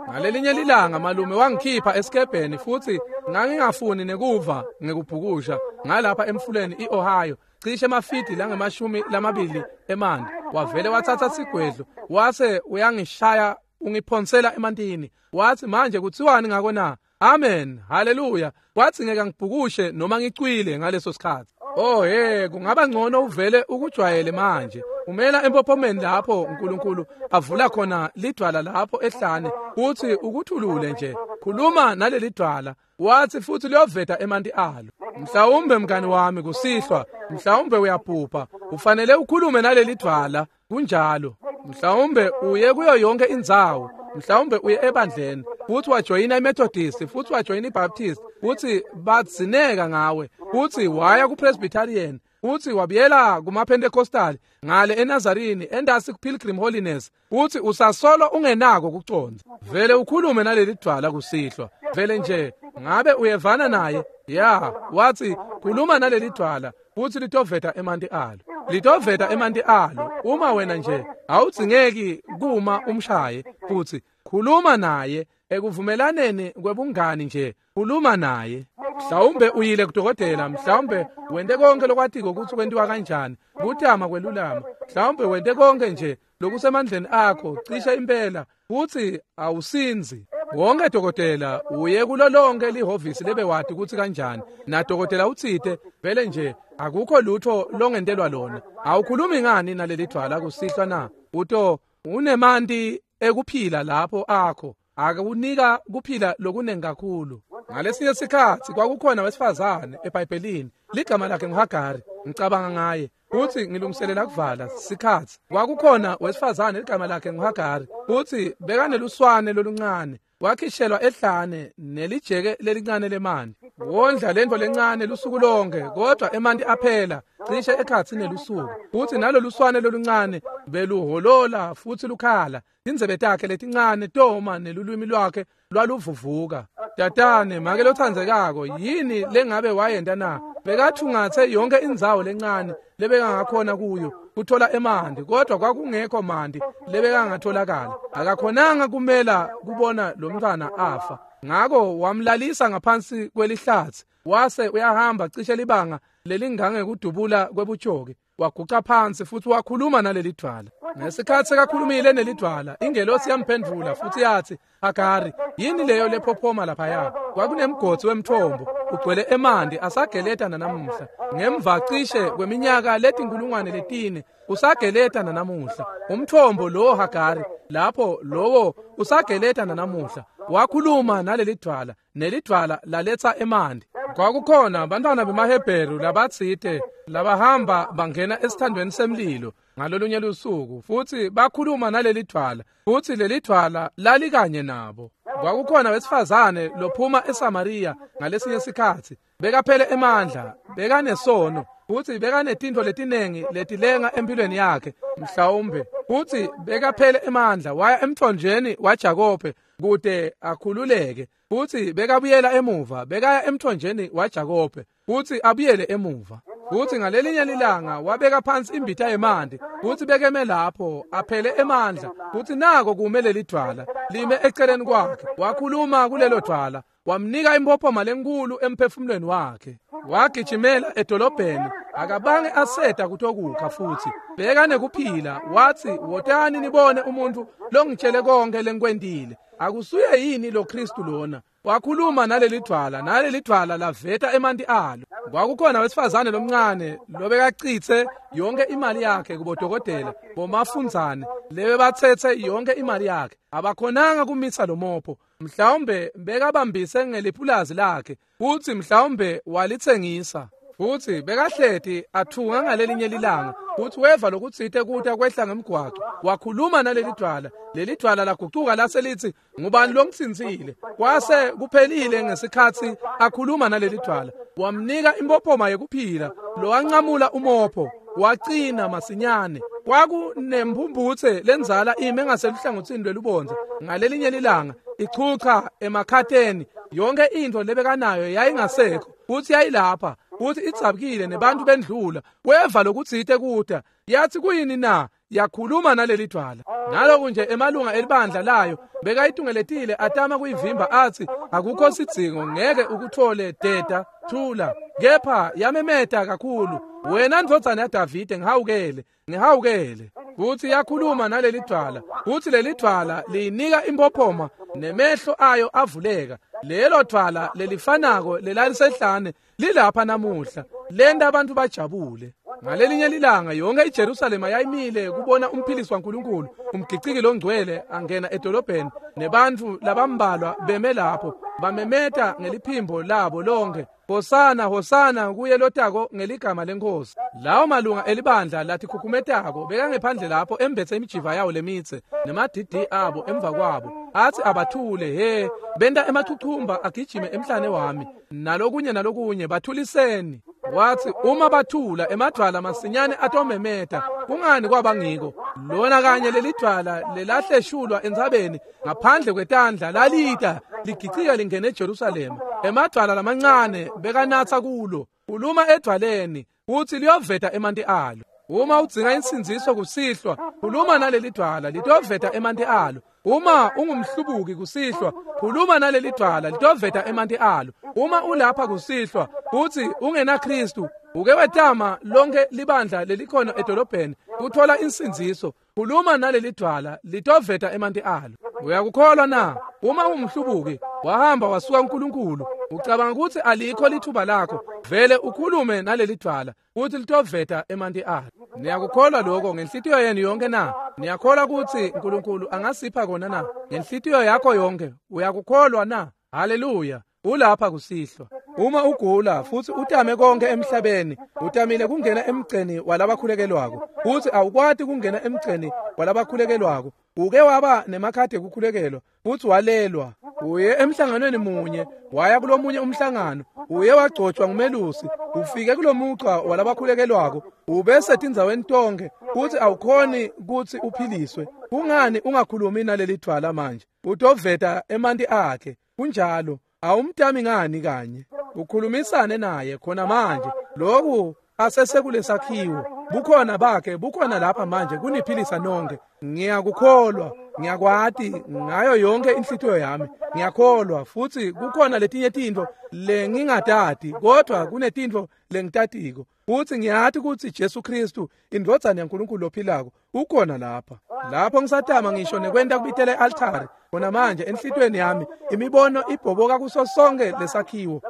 Ngalelinye lilanga malume wangikhipha esikebheni futhi ngangingafuni nekuva ngekubhukusha ngalapha emfuleni iOhio, cishe emafidi lange-20 emanti. Wavele wathatha sigwedlo wase uyangishaya ungiphonsela emantini. Wathi manje kutsiwani ngako na? Amen, haleluya. Wathi ngeke ngibhukushe noma ngicwile ngaleso sikhatsi. Oh hey, kungaba ngcono uvele ukujwayele manje. Umela empophomeni lapho uNkulunkulu avula khona lidwala lapho ehlane, uthi ukuthulule nje. Khuluma naleli dwala, wathi futhi liyoveta emanti alo. Mhlawumbe mngani wami kusihlwa, mhlawumbe uyaphupha, ufanele ukhulume naleli dwala. Kunjalo. Mhlawumbe uye kuyo yonke indzawo, mhlawumbe uye ebandleni futhi wajoyina iMethodist, futhi wajoyina iBaptist, Futsi badzineka ngawe. Futsi waya kuPresbyterian. Futsi wabuyela kumaPentecostal ngale eNazarini endasi kuPilgrim Holiness. Futsi usasolo ungenako kucondza. Vele ukhulume naleli dvwala kusihlwa. Vele nje ngabe uyevana naye? Ya, watsi khuluma naleli dvwala futsi litoveta emanti alo. Litoveta emanti alo. Uma wena nje awudzingeki kuma umshaye, futsi khuluma naye ekuvumelaneni kwebungani nje, khuluma naye. Mhlawumbe uyile kudokotela, mhlawumbe wente konke lokwatiko kutsi kwentiwa kanjani, kutama kwelulama. Mhlawumbe wente konke nje lokusemandleni akho, cishe impela, futsi awusinzi. Wonke dokotela uye kulo lonke lihhovisi lebewati kutsi kanjani, nadokotela utsite vele nje akukho lutho longentelwa lona. Awukhulumi ngani naleli dvwala kusihlwa na? Uto unemanti ekuphila lapho akho, akunika kuphila lokunengi kakhulu. Ngalesinye sikhatsi kwakukhona wesifazane eBhayibhelini, ligama lakhe nguHagari. Ngicabanga ngaye futsi ngilungiselela kuvala sikhatsi. Kwakukhona wesifazane ligama lakhe nguHagari, futsi bekaneluswane loluncane. Wakhishelwa ehlane nelijeke lelincane lemanti. Wondla lentfo lencane lusuku lonke, kodwa emanti aphela cishe ekhatsi nelusuku. Futsi naloluswane loluncane beluholola futsi lukhala. Tindzebe takhe letincane toma nelulwimi lwakhe lwaluvuvuka. Tatane, make lotsandzekako, yini lengabe wayenta na? Bekathungatse yonke indzawo lencane lebekangakhona kuyo kuthola emanti, kodwa kwakungekho manti lebekangatholakala. Akakhonanga kumela kubona lo mntfwana afa. Ngako wamlalisa ngaphansi kwelihlatsi, wase uyahamba cishe libanga lelingangekudubula kwebutjoki. Waguca phansi futsi wakhuluma naleli dvwala. Ngesikhatsi sekakhulumile nelidvwala, ingelosi yamphendvula futsi yatsi, Hagari, yini leyo lephophoma laphaya? Kwakunemgodzi wemthombo ugcwele emanti asageleta nanamuhla. Ngemva cishe kweminyaka letinkulungwane 4 usageleta nanamuhla. Umthombo lowo Hagari, lapho lowo usageleta nanamuhla. Wakhuluma naleli dvwala, nelidvwala laletsa emanti. Kwakukhona bantwana bemaHebheru labatsite labahamba bangena esithandweni semlilo ngalolunye lusuku, futsi bakhuluma naleli dvwala, futsi leli dvwala lalikanye nabo. Kwakukhona wesifazane lophuma eSamariya ngalesinye sikhatsi, bekaphele emandla, bekanesono, futsi bekanetintfo letinengi letilenga empilweni yakhe mhlawumbe, futsi bekaphele emandla. Waya emthonjeni waJakobe kute akhululeke, futsi bekabuyela emuva, bekaya emthonjeni waJakobe futsi abuyele emuva. Futsi ngalelinye lilanga wabeka phansi imbita yemanti, futsi bekeme lapho aphele emandla, futsi nako kume leli dvwala lime eceleni kwakhe. Wakhuluma kulelo dvwala, wamnika impophoma lenkulu emphefumulweni wakhe. Wagijimela edolobheni, akabange aseta kutokukha futsi bekanekuphila. Watsi, wotani nibone umuntu longitshele konke lengikwentile. Akusuye yini lo Kristu lona? Wakhuluma naleli dvwala, naleli dvwala laveta emanti alo. Kwakukhona wesifazane lomncane lobekacitse yonke imali yakhe kubodokotela bomafundzane lebebatsetse yonke imali yakhe. Abakhonanga kumisa lo mopho. Mhlawumbe bekabambise ngelipulazi lakhe, futsi mhlawumbe walitsengisa. Futsi bekahleti athunga ngalelinye lilanga, futsi weva lokutsite kuta kwehla ngemgwaco. Wakhuluma naleli dvwala, leli dvwala lagucuka lase litsi, ngubani longitsintsile? Kwase kuphelile ngesikhatsi akhuluma naleli dvwala. Wamnika impophoma yekuphila, lowancamula umopho wacina masinyane. Kwakunemphumphutse lendzala ime ngaseluhlangotsini lwelubondza ngalelinye lilanga, ichucha emakhateni. Yonke intfo lebekanayo yayingasekho, futsi yayilapha, futsi idzabukile nebantu bendlula. Weva lokutsite kuta, yathi kuyini na? Yakhuluma naleli dvwala. Naloku nje emalunga elibandla layo bekayitungeletile atama kuyivimba, atsi akukho sidzingo, ngeke ukuthole, deda, thula. Kepha yamemeta kakhulu, wena ndvodzana yaDavide, ngihawukele, ngihawukele. Futsi yakhuluma naleli dvwala, futsi leli dvwala liyinika impophoma nemehlo ayo avuleka. Lelo dvwala lelifanako lelalisehlane lilapha namuhla, lenta abantu bajabule. Ngalelinye lilanga yonke iJerusalema yayimile kubona umphilisi waNkulunkulu, umgiciki longcwele angena edolobheni, nebantfu labambalwa beme lapho bamemeta ngeliphimbo labo lonke, Hosana, Hosana kuye lotako ngeligama leNkosi. Lawo malunga elibandla latikhukhumetako bekangephandle lapho embetse imijiva yawo lemitse nemadidi abo emva kwabo, athi abathule, he benta emachuchumba agijime emhlane wami nalokunye nalokunye, bathuliseni. Wathi uma bathula emadvwala masinyane atomemeta. Kungani kwaba ngiko? Lona kanye lelidvwala lelahleshulwa entsabeni ngaphandle kwetandla lalita ligicika lingene eJerusalema. Emadvwala lamancane bekanatsa kulo. Khuluma edvwaleni uthi liyoveta emanti alo. Uma udzinga insindziso kusihlwa, khuluma naleli dvwala litoveta emanti alo. Uma ungumhlubuki kusihlwa, khuluma naleli dvwala litoveta emanti alo. Uma ulapha kusihlwa uthi ungena Kristu, uke wetama lonke libandla lelikhona edolobheni kuthola insindziso, khuluma naleli dvwala litoveta emanti alo. Uyakukholwa na? Uma ungumhlubuki wahamba wasuka uNkulunkulu, ucabanga ukuthi alikho lithuba lakho, vele ukhulume naleli dvwala uthi litoveta emanti alo. Niyakukholwa lokho ngenhlitiyo yenu yonke na? Niyakholwa ukuthi uNkulunkulu angasipha kona na? Ngenhlitiyo yakho yonke uyakukholwa na? Haleluya! Ulapha kusihlwa. Uma ugula futhi utame konke emhlabeni, utamile kungena emgceni walabakhulekelwako, futhi awukwati kungena emgceni walabakhulekelwako, uke waba nemakhadi ekukhulekelwa futhi walelwa, uye emhlanganweni munye waya kulomunye umhlangano, uye wagcotshwa ngumelusi, ufike kulomuca walabakhulekelwako, ubese tindzaweni tonke futhi awukhoni kutsi uphiliswe. Kungani ungakhulumi naleli dvwala manje? Utoveta emanti akhe. Kunjalo. Awumtami ngani kanye? Ukhulumisane naye khona manje. Lokhu asesekulesakhiwo. Bukhona bakhe bukhona lapha manje kuniphilisa nonke. Ngiyakukholwa, ngiyakwati ngayo yonke inhlitiyo yami. Ngiyakholwa futhi kukhona letinye tintfo lengingatati, kodwa kunetintfo lengitatiko. Futhi ngiyati ukuthi Jesu Kristu indvodzana yaNkulunkulu lophilako ukhona lapha. Lapho ngisatama ngisho nekwenta kubitela e-altari khona manje enhlitiyweni yami imibono ibhoboka kuso sonke lesakhiwo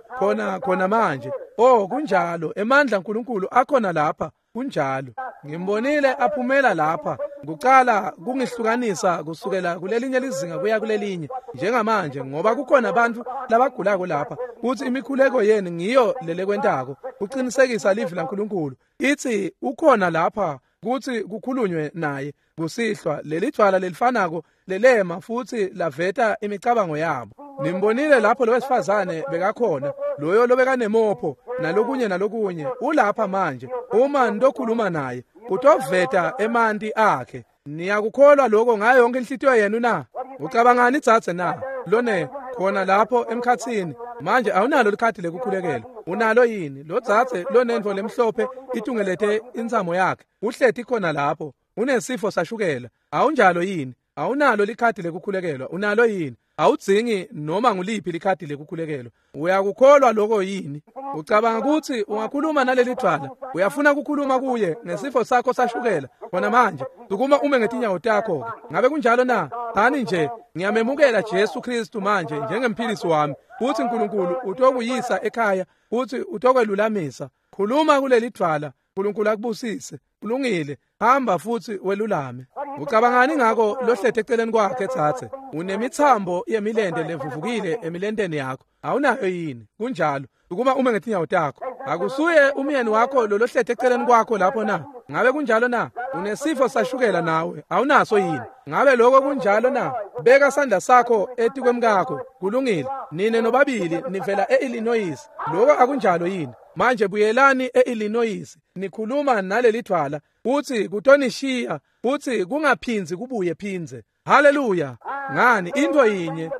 khona manje. Oh, kunjalo, emandla aNkulunkulu akhona lapha. Kunjalo. Ngimbonile aphumela lapha kucala kungihlukanisa kusukela kulelinye lizinga kuya kulelinye njengamanje, ngoba kukhona abantu labagulako lapha kuthi imikhuleko yenu ngiyo lelekwentako uqinisekisa livi laNkulunkulu. Ithi ukhona lapha kuthi kukhulunywe naye kusihlwa. Leli dvwala lelifanako lelema futhi laveta imicabango yabo. Nimbonile lapho lo wesifazane bekakhona, loyo lobekanemopho nalokunye nalokunye, ulapha manje. Uma nitokhuluma naye utoveta emanti akhe. Niyakukholwa lokho ngayo yonke inhlitiyo yenu na? Ucabangani dzadze na? Lone khona lapho emkhatsini manje awunalo likhadi lekukhulekelwa, unalo yini? Lo dzadze lonentfo lemhlophe itungelete intsamo yakhe uhleti khona lapho, unesifo sashukela, awunjalo yini? Awunalo likhadi lekukhulekelwa, unalo yini? Awudzingi noma nguliphi likhadi lekukhulekelwa. Uyakukholwa lokho yini? Ucabanga ukuthi ungakhuluma naleli dvwala? Uyafuna ukukhuluma kuye ngesifo sakho sashukela khona manje? Sukuma ume ngetinyawo takho-ke. Ngabe kunjalo na? Thani nje, ngiyamemukela Jesu Kristu manje njengemphilisi wami, futhi uNkulunkulu utokuyisa ekhaya futhi utokwelulamisa. Khuluma kuleli dvwala, uNkulunkulu akubusise. Kulungile, hamba futhi welulame. Ucabangani ngako lohlete eceleni kwakhe tsatse? Unemitsambo yemilente levuvukile emilenteni yakho, awunayo yini? Kunjalo. Sukuma ume ngetinyawo takho. Akusuye umyeni wakho lolohlete eceleni kwakho lapho na? Ngabe kunjalo na? Unesifo sashukela nawe, awunaso yini? Ngabe lokho kunjalo na? Beka sandla sakho etikwemkakho. Kulungile. Nine nobabili nivela e-Illinois. Lokho akunjalo yini? Manje buyelani e-Illinois, nikhuluma naleli dvwala uthi kutonishiya futhi kungaphindzi kubuye phindze. Haleluya! Ngani, into yinye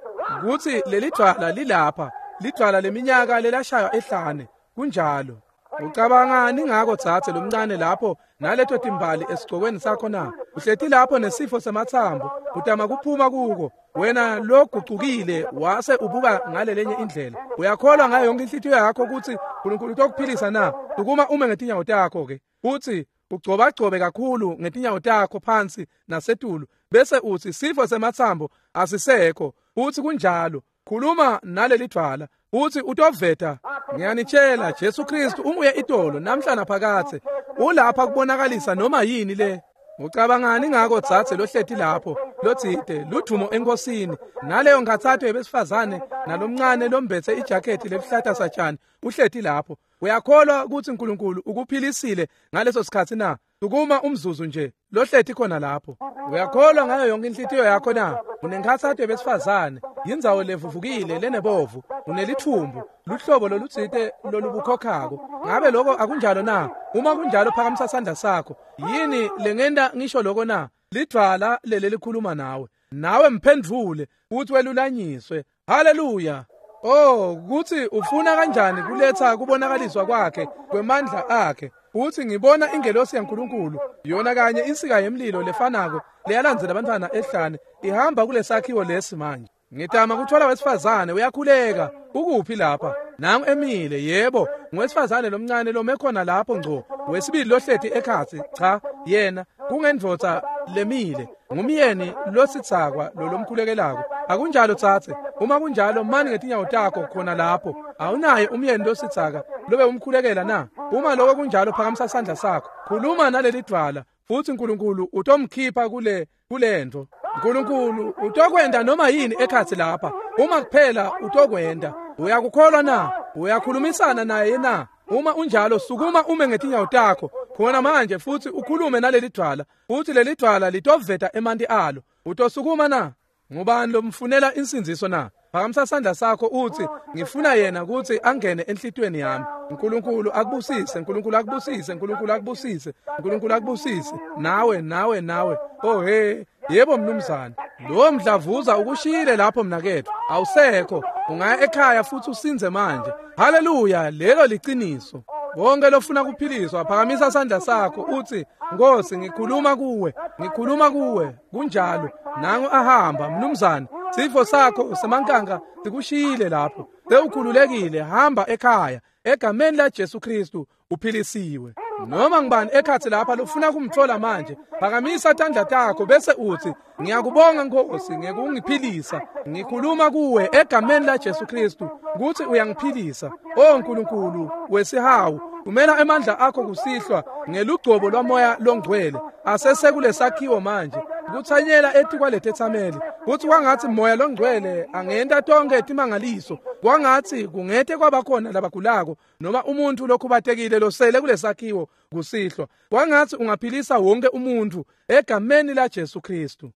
kuthi leli dvwala lilapha, lidvwala leminyaka lelashaywa ehlane. Kunjalo. Ucabangani ngako dzadze lomncane lapho naleto timbali esigcokweni sakho na? Uhleti lapho nesifo sematsambo, utama kuphuma kuko. Wena logucukile wase ubuka ngalelenye indlela. Uyakholwa ngayo yonke inhlitiyo yakho ukuthi uNkulunkulu utokuphilisa na? Sukuma ume ngetinyawo takho ke. Uthi ugcobagcobe kakhulu ngetinyawo takho phansi nasetulu, bese uthi sifo sematsambo asisekho. Uthi kunjalo. Khuluma naleli dvwala uthi utoveta. Ngiyanitshela, Jesu Kristu unguye itolo namhla naphakathe. Ulapha kubonakalisa noma yini le. Ucabangani ngako dzadze lohleti lapho lotsite ludvumo enkosini, naleyo nkhatsato yebesifazane nalomncane lombetse ijakhethi leluhlata satjani uhleti lapho? Uyakholwa kutsi Nkulunkulu ukuphilisile ngaleso sikhatsi na? Sukuma umzuzu nje lohleti khona lapho. Uyakholwa ngayo yonke inhlitiyo yakho na? Unenkhatsato yebesifazane, yindzawo levuvukile lenebovu, unelithumbu, luhlobo lolutsite lolubukhokhako. Ngabe lokho akunjalo na? Uma kunjalo phakamisa sandla sakho. Yini lengenta ngisho lokho na? Lidvwala leli likhuluma nawe. Nawe mphendvule uthi welulanyiswe. Haleluya. Oh, kuthi ufuna kanjani kuletha kubonakaliswa kwakhe kwemandla akhe. Uthi ngibona ingelosi yaNkulunkulu, yona kanye insika yemlilo lefanako leyalandzela abantwana ehlane, ihamba kulesakhiwo lesi manje. Ngitama kuthola wesifazane uyakhuleka. Ukuphi lapha? Nangu emile, yebo, ngowesifazane lomncane lome khona lapho ngco. Wesibili lohleti ekhatsi, cha, yena kungendvodza lemile, ngumyeni lositsakwa lolomkhulekelako. Akunjalo tsatse? Uma kunjalo mani ngetinyawo takho khona lapho. Awunaye umyeni lositsaka lobe umkhulekela na? Uma lokho kunjalo phakamisa sandla sakho. Khuluma naleli dvwala futsi Nkulunkulu utomkhipha kulento. Nkulunkulu utokwenta noma yini ekhatsi lapha. Uma kuphela utokwenta. Uyakukholwa na? Uyakhulumisana naye na? Uma unjalo sukuma ume ngetinyawo takho khona manje futsi ukhulume naleli dvwala, futsi leli dvwala litoveta emanti alo. Utosukuma na? Ngubani lomfunela insindziso na? Phakamisa sandla sakho uthi ngifuna yena kutsi angene enhlitiyweni yami. Nkulunkulu akubusise, Nkulunkulu akubusise, Nkulunkulu akubusise, Nkulunkulu akubusise. Nawe, nawe, nawe. Oh he, yebo mnumzane. Lo mdlavuza ukushiyile lapho mnaketfu. Awusekho. Ungaya ekhaya futsi usindze manje. Haleluya, lelo liciniso. Wonke lofuna kuphiliswa phakamisa sandla sakho uthi Nkosi ngikhuluma kuwe, ngikhuluma kuwe. Kunjalo. Nangu ahamba mnumzane. Sifo sakho semankanka sikushiyile lapho. Sewukhululekile, hamba ekhaya. Egameni la Jesu Kristu uphilisiwe. Noma ngibani ekhatsi lapha lofuna kumthola manje, phakamisa tandla takho bese uthi ngiyakubonga Nkosi ngekungiphilisa. Ngikhuluma kuwe egameni la Jesu Kristu kuthi uyangiphilisa. Oh Nkulunkulu wesihawu, thumela emandla akho kusihlwa ngelugcobo lwamoya longcwele asesekulesakhiwo manje kutsanyela etikwalethethameli, kutsi kwangatsi moya longcwele angenta tonke timangaliso, kwangatsi kungete kwabakhona labagulako noma umuntu lokhubatekile losele kulesakhiwo kusihlwa. Kwangatsi ungaphilisa wonke umuntu egameni la Jesu Kristu.